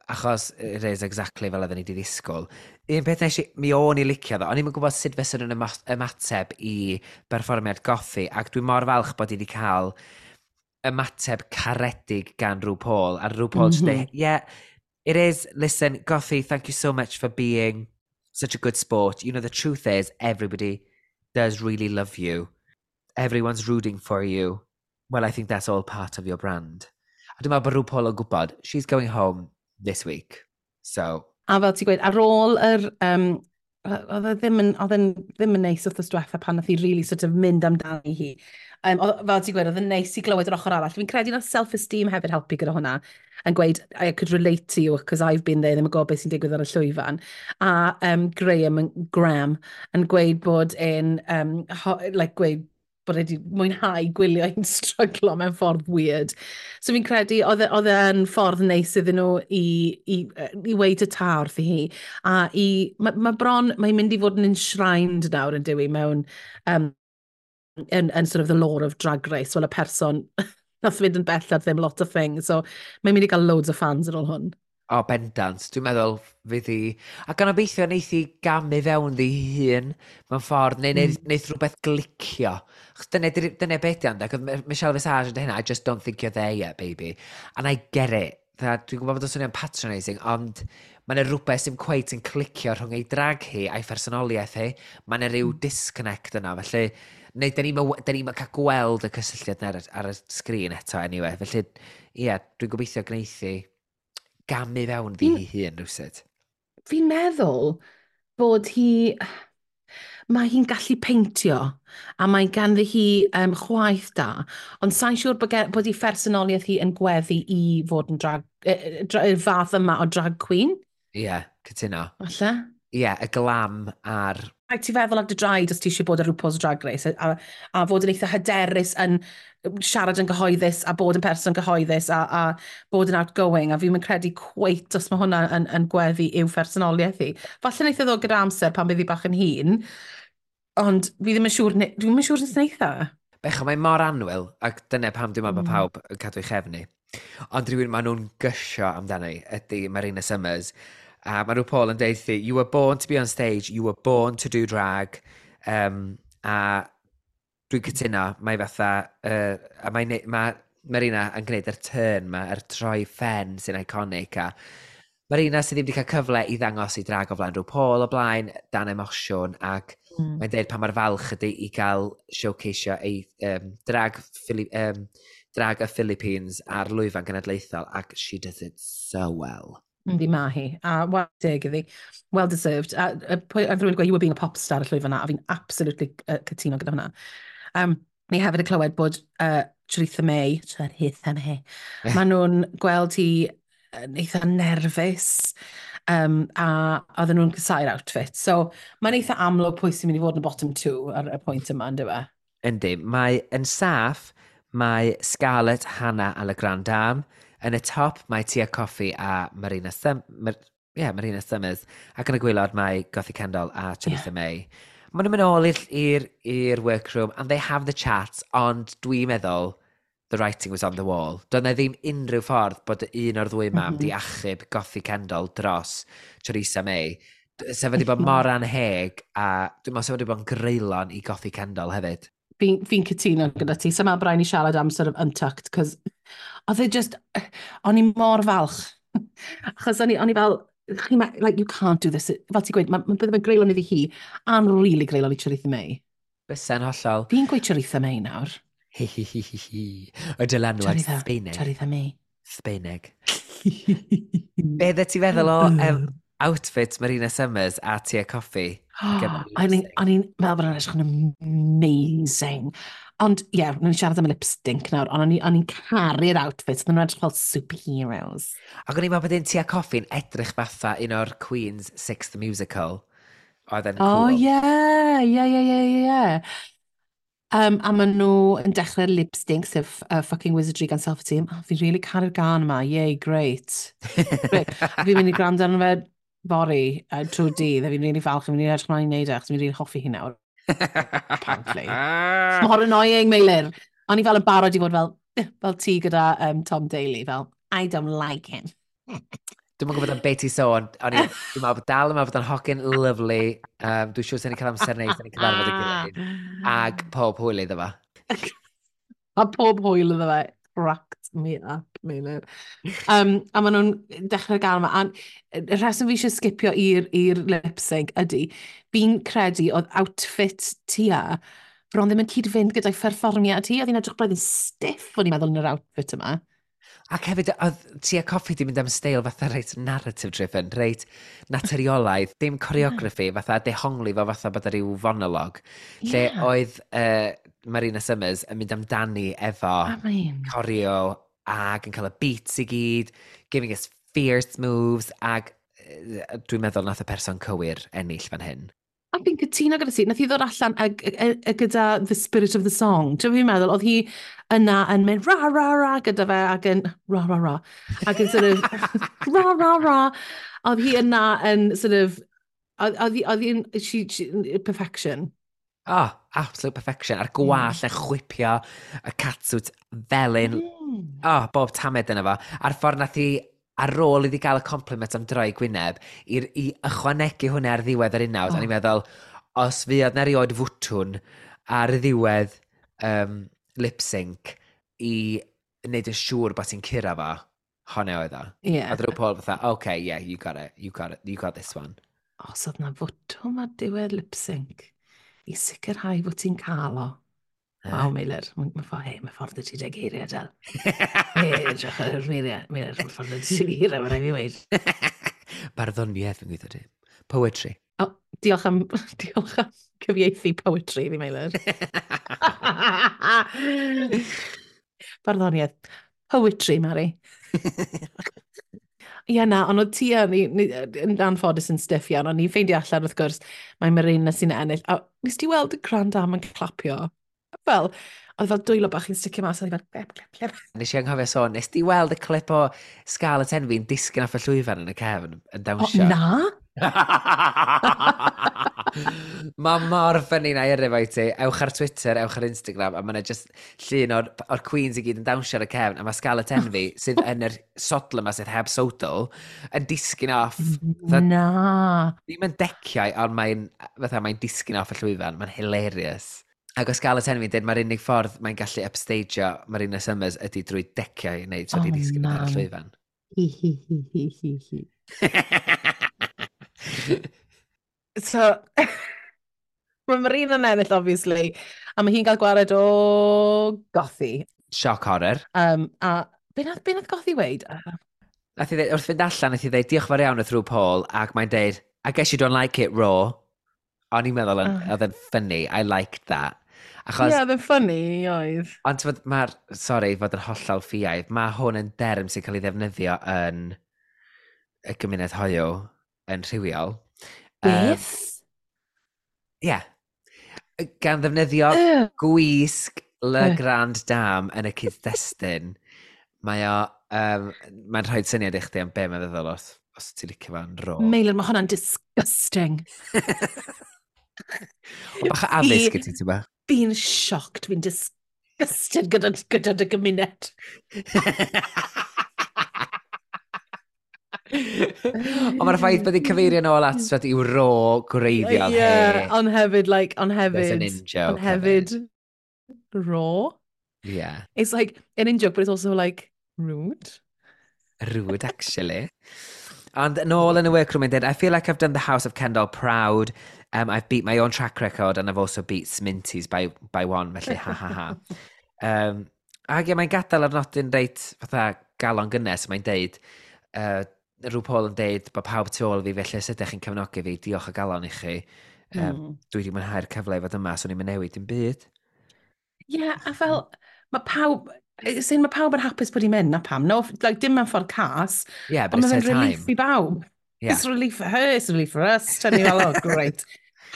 achos it is exactly fel oedden ni wedi ddisgwyl. Un peth nes i, mi o'n i licio ddo, o'n i'm yn gwybod sut fysen nhw'n ymateb i berfformiad Gothy, ac dwi'n mor falch bod i wedi cael ymateb caredig gan RuPaul, a RuPaul just deud, "Yeah, it is, listen, Gothy, thank you so much for being such a good sport. You know, the truth is, everybody does really love you. Everyone's rooting for you. Well, I think that's all part of your brand." A dwi'n meddwl bod RuPaul yn gwybod, she's going home this week. So, A fel ti'n gweud, ar ôl yr... oedd e ddim yn, oedd e'n ddim yn neis wrth diwetha pan nath hi really sort of mynd amdani hi. Fel ti'n gweud, oedd yn neis i glywed yr ochr arall. Fi'n credu nath self-esteem hefyd helpu gyda hwnna. Yn gweud, "I could relate to you because I've been there, ddim yn gwybod beth sy'n digwydd ar y llwyfan." A Graham yn gweud bod e'n, like, gweud bod e wedi mwynhau gwylio hi'n stryglo mewn ffordd weird. So fi'n credu oedd e'n ffordd neis iddyn nhw i weud y ta wrthi hi. A mae bron, mae'n mynd i fod yn enshrined nawr yn dywi mewn yn sort of the lore of Drag Race, fel y person nath fynd yn bell ar ddim lot of things. So mae'n mynd i gael loads o fans ar ôl hwn. O, bendant. Dwi'n meddwl fydd hi... A gan obeithio neith hi gamu fewn ddi hun mewn ffordd, neu neith rhywbeth glicio. Achos dyna beth di ond, ac oedd Michelle Visage yn dweud hynna, "I just don't think you're there yet, baby." And I get it. Dwi'n gwybod bod o'n swnio'n patronising, ond mae yna rhywbeth sy'n cweit yn clicio rhwng ei drag hi a'i phersonoliaeth hi. Mae yna rhyw disconnect yna, felly... Neu, da ni'm yn cael gweld y cysylltiad yna ar y sgrin eto, anyway. Felly, ie, yeah, dwi'n gobeithio gwneith hi gamu fewn ddi hi hun rhywsut. Fi'n meddwl bod hi... Mae hi'n gallu peintio, a mae ganddi hi chwaith da, ond sa'n siŵr bod ei phersonoliaeth hi yn gweddu i fod yn drag, y fath yma o drag queen. Ie, yeah, cytuno. Falle? Ie, yeah, y glam a'r. Rhaid ti feddwl ar dy draed os ti eisiau bod ar RuPaul's Drag Race a fod yn eitha hyderus yn siarad yn gyhoeddus a bod yn person gyhoeddus a bod yn outgoing, a fi'n mynd credu cweit os mae hwnna yn gweddu i'w phersonoliaeth hi. Falle wneith e ddod gyda amser pan bydd hi bach yn hŷn, ond fi ddim yn siŵr, dwi ddim yn siŵr os wneith e. Becho, mae mor annwyl, ac dyna pam dwi'n meddwl bod pawb yn cadw ei chefn hi. Ond rhywun maen nhw'n gysio amdani ydy Marina Summers. A mae RuPaul yn deud thi, "You were born to be on stage, you were born to do drag." A dwi'n cytuno, mae fatha, a mae Marina yn gwneud yr turn ma, yr troi ffen sy'n iconic. A Marina sydd ddim wedi cael cyfle i ddangos ei drag o flaen RuPaul o blaen, dan emosiwn, ac mae'n deud pa mor falch ydy i gael showcaseio ei drag y Philippines ar lwyfan genedlaethol, ac she does it so well. Yndi, ma hi. A well deg iddi. Well deserved. A rhywun gweud, "You were being a pop star" y llwyfan na, a fi'n absolutely cytuno gyda hwnna. Ni hefyd yn clywed bod Choriza May, Choriza May, maen nhw'n gweld hi yn eitha nerfus, a oedden nhw'n casáu'r outfit. So, mae'n eitha amlwg pwy sy'n mynd i fod yn y bottom two ar y pwynt yma, ynddo fe? Yndi, mae yn saff, mae Scarlett, Hannah a La Grande Dame. Yn y top mae Tia Kofi a yeah, Marina Summers. Ac yn y gwaelod mae Gothy Kendoll a Choriza May. Maen nhw'n mynd ôl i'r workroom and they have the chat, ond dwi'n meddwl the writing was on the wall. Doedd na ddim unrhyw ffordd bod un o'r ddwy mam di achub Gothy Kendoll dros Choriza May. Sef wedi bod mor anheg a dwi'n meddwl sef wedi bod yn greulon i Gothy Kendoll hefyd. Fi cytuno gyda ti. So mae rhaid ni siarad am sort of Untucked, cos oedd e just, o'n i mor falch. Achos o'n i fel, like, you can't do this. Fel ti'n gweud, ma bydde fe'n greulon iddi hi, a'n really greulon i Choriza May. Bysa'n hollol. Fi'n gweud Choriza May nawr. Hi hi hi hi hi. Y dylanwad Choriza, Sbeineg. Choriza May. Sbeineg. Be ddech ti feddwl o outfit Marina Summers a Tia Kofi ar gyfer y O'n lip-sync? O'n i'n meddwl bod nhw'n edrych yn amazing. Ond, ie, yeah, nhw'n siarad am y lip sync nawr, ond o'n i'n caru'r outfits, nhw'n edrych fel superheroes. Ac o'n i'n meddwl bod un Tia Kofi'n edrych fatha un o'r Queen's Sixth Musical. Oedd yn Oh, cool. ie. A maen nhw yn dechrau'r lip sync, sef Fucking Wizardry gan Self-Esteem. Oh, fi'n really caru'r gân yma. Yay, great. Great. A fi'n mynd i gwrando arno fe fory, trwy dydd, a fi'n really falch, a fi'n really edrych ymlaen i wneud e, achos fi'n really hoffi hi nawr. Apparently. Mor annoying, Meilir. O'n i fel yn barod i fod fel ti gyda Tom Daley, fel, "I don't like him." Dwi'n gwybod am beth ti sôn, o'n i, dwi'n meddwl bod dal yn meddwl bod o'n hogyn lovely. Dwi'n siŵr sy'n ni cael amser neis yn cyfarfod y gilydd. Ag pob hwyl iddo fo. A pob hwyl iddo fe. Cracked me up, Meilir. A maen nhw'n dechrau'r gân yma. A y rheswm fi eisiau skipio i'r lip sync ydy, fi'n credu oedd outfit Tia bron ddim yn cyd-fynd gyda'i pherfformiad hi. Oedd hi'n edrych braidd yn stiff, o'n i'n meddwl, yn yr outfit yma. Ac hefyd, oedd Tia Kofi di mynd am steil fatha reit narrative driven, reit naturiolaidd, dim choreography, fatha dehongli fo fatha bod ar ryw fonolog. Lle oedd Marina Summers yn mynd amdani efo I mean, choreo ac yn cael y beats i gyd, giving us fierce moves, ac dwi'n meddwl nath y person cywir ennill fan hyn. A fi'n cytuno gyda ti, nath hi ddod allan a gyda the spirit of the song. Ti'n fi'n meddwl, oedd hi yna yn mynd ra ra ra gyda fe ac yn ra ra ra ac yn sort of ra ra ra. Oedd hi yna yn sort of, oedd hi'n, she, perfection. Oh, absolute perfection. A'r gwallt yn chwipio, y catsuit felyn. Oh, bob tamed yna fo. A'r ffordd nath hi, ar ôl iddi gael y compliment am droi gwyneb, i ychwanegu hwnna ar ddiwedd yr unawd, oh. O'n i'n meddwl, os fuodd na rioed fwtwn ar y ddiwedd lip sync i wneud yn siŵr bod ti'n curo fo, hwnna oedd o. Oedd RuPaul fatha, "Okay, yeah, you got it, you got it, you got this one." Os oedd na fwtwm ar diwedd lip sync i sicrhau fod ti'n cael o. Waw, Meilir, mae ffordd, hei, mae ffordd y ti deg geiriau, Del. Hei, edrych ar Meilir, Meilir, mae ffordd y ti geiriau, mae'n rhaid fi weud. Barddoniaeth yn gweithio ti. Poetry. Oh, Diolch am cyfieithu poetry fi, Meilir. Barddoniaeth. Poetry, Mari. Ie, na, ond oedd ti a ni yn anffodus yn stiff iawn, ond ni'n ffeindio allan wrth gwrs, mae Marina sy'n ennill. A nes ti weld y Grand Dame yn clapio? Fel, oedd fel dwylo bach yn sticio mas, oedd hi fel, clap, clap, clap. Nes i anghofio sôn, nes ti weld y clip o Scarlett Envy'n disgyn off y llwyfan yn y cefn yn O, dawnsio? Na? Mae mor funny na i yrru fo i ti. Ewch ar Twitter, ewch ar Instagram, a mae yna just llun o'r Queens i gyd yn dawnsio ar y cefn, a mae Scarlett Envy, sydd yn yr sodl yma sydd heb sodl, yn disgyn off. Fatha, Na. ddim yn deciau, ond mae'n fatha, mae'n disgyn off y llwyfan. Mae'n hilarious. Ac o Scarlett Envy yn dweud, mae'r unig ffordd mae'n gallu upstageio Marina Summers ydy drwy deciau neu tra di Oh, disgyn ar y man. llwyfan. Hi, hi, hi, hi, hi, hi. So, mae Marina'n ennill, obviously, a mae hi'n cael gwared o Gothy. Shock horror. A be nath Gothy weud? Nath i ddeud, wrth fynd allan, nath i ddeud, "Diolch fawr iawn" wrth rhyw Paul, ac mae'n deud, "I guess you don't like it raw." O'n i'n meddwl, yn, Ah. oedd yn funny, I liked that. Achos, Ie, yeah, oedd yn funny, oedd. Ond t'mod, mae'r, sorry, fod yn hollol ffiaidd, mae hwn yn derm sy'n cael ei ddefnyddio yn y gymuned hoyw, yn rhywiol. Beth? Ie. Yeah. Gan ddefnyddio gwisg Le Grand Dame yn y cyd-destun, mae'n rhoi syniad i chdi am be mae'n feddwl os ti'n licio fo'n raw. Meilir, mae hwnna'n disgusting. O, bach o addysg i ti, ti'n ba? Fi'n shocked, fi'n disgusted gyda dy gymuned. Ond mae'r ffaith bod hi'n cyfeirio nôl at twed, i'w raw gwreiddiol Yeah, hi. ond hefyd, like, ond There's an hefyd, in-joke ond hefyd, raw. Yeah. It's like an in-joke, but it's also like rude. Rude, actually. Ond nôl yn y workroom yn dweud, "I feel like I've done the House of Kendall proud. I've beat my own track record and I've also beat Sminty's by one," felly ha ha ha. Ac ie, mae'n gadael ar nodyn reit fatha galon gynnes, mae'n deud, rhyw Paul yn deud bod pawb tu ôl fi, felly os ydych chi'n cefnogi fi, diolch o galon i chi. Dwi wedi mwynhau'r cyfle i fod yma, so ni'n mynd newid dim byd. Yeah, a fel, mae pawb, sy'n mae pawb yn hapus bod hi'n mynd, na pam. No, like, dim mewn ffordd cas, Yeah, but ond it's mae her fe'n relief time. i bawb. Yeah. It's relief for her, it's relief for us. Tyn ni fel, "Oh, great.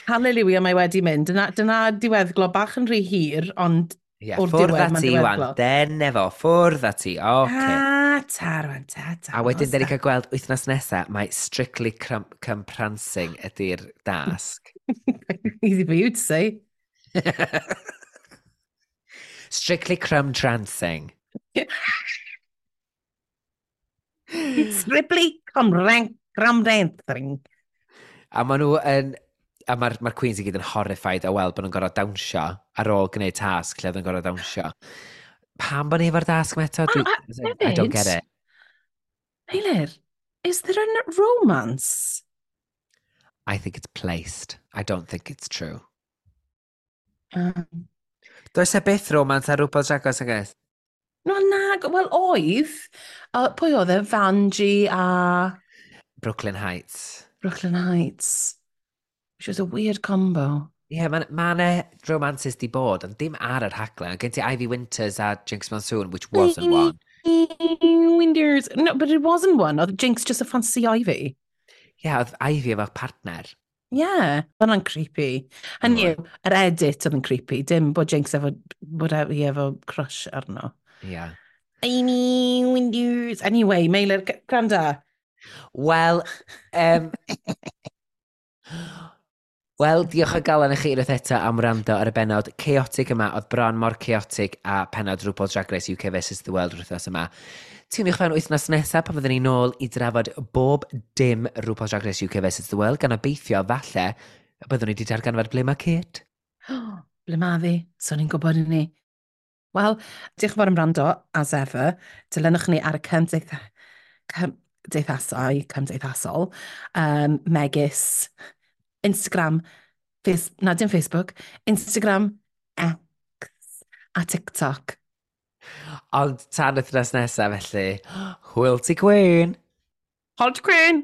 Hallelujah, mae wedi mynd." Dyna diweddglo bach yn rhy hir, ond Yeah, o'r ffwrdd diwedd, â mae'n ti, wan. diweddglo. Dene fo, ffwrdd â ti. Oce. Ta, ta, rwan, ta, ta. A wedyn, da ni cael gweld wythnos nesaf, mae Strictly Come Prancing ydy'r dasg. Easy for you to say. Strictly Crumb Trancing. Strictly come rank, gram dancing. A maen nhw yn... A mae'r ma Queens i gyd yn horrified o weld bod nhw'n gorfod dawnsio ar ôl gwneud tasg lle oedd yn gorfod dawnsio. Pam bod ni efo'r dasg yma eto? A I don't get hefyd- it. Meilir, is there a romance? I think it's placed. I don't think it's true. Does e byth romance ar RuPaul's Drag Race, I guess? No, na, wel oedd. Pwy oedd e? Vanjie a Brooklyn Heights. Brooklyn Heights. Which was a weird combo. Ie, yeah, mae ma 'na romances di bod, ond dim ar yr rhaglen. Gen ti Ivy Winters a Jinkx Monsoon, which wasn't one. Winters. No, but it wasn't one. Oedd Jinkx just a fancy Ivy. Ie, yeah, oedd Ivy efo partner. Yeah, oedd hwnna'n creepy. Hynny yw, yr edit oedd yn creepy. Dim bod Jinkx efo, bod hi efo crush arno. Ie. Yeah. Ivy Winters. Anyway, Meilir, gwranda. Wel, diolch o galon i chi unwaith eto am wrando ar y bennod chaotic yma, oedd bron mor chaotic a pennod RuPaul's Drag Race UK vs The World wythnos yma. Tiwniwch fewn wythnos nesaf pan fyddwn ni nôl i drafod bob dim RuPaul's Drag Race UK vs The World, gan obeithio falle y byddwn ni wedi darganfod ble mae Kate. Ble ma ddi? So ni'n gwybod i ni. Wel, diolch yn fawr am wrando, as ever. Dilynwch ni ar y cymdeithasau, cymdeithasol, megis Instagram, face, na dim Facebook, Instagram, X a TikTok. Ond tan wythnos nesaf felly, hwyl ti Queen! Hwyl ti Queen!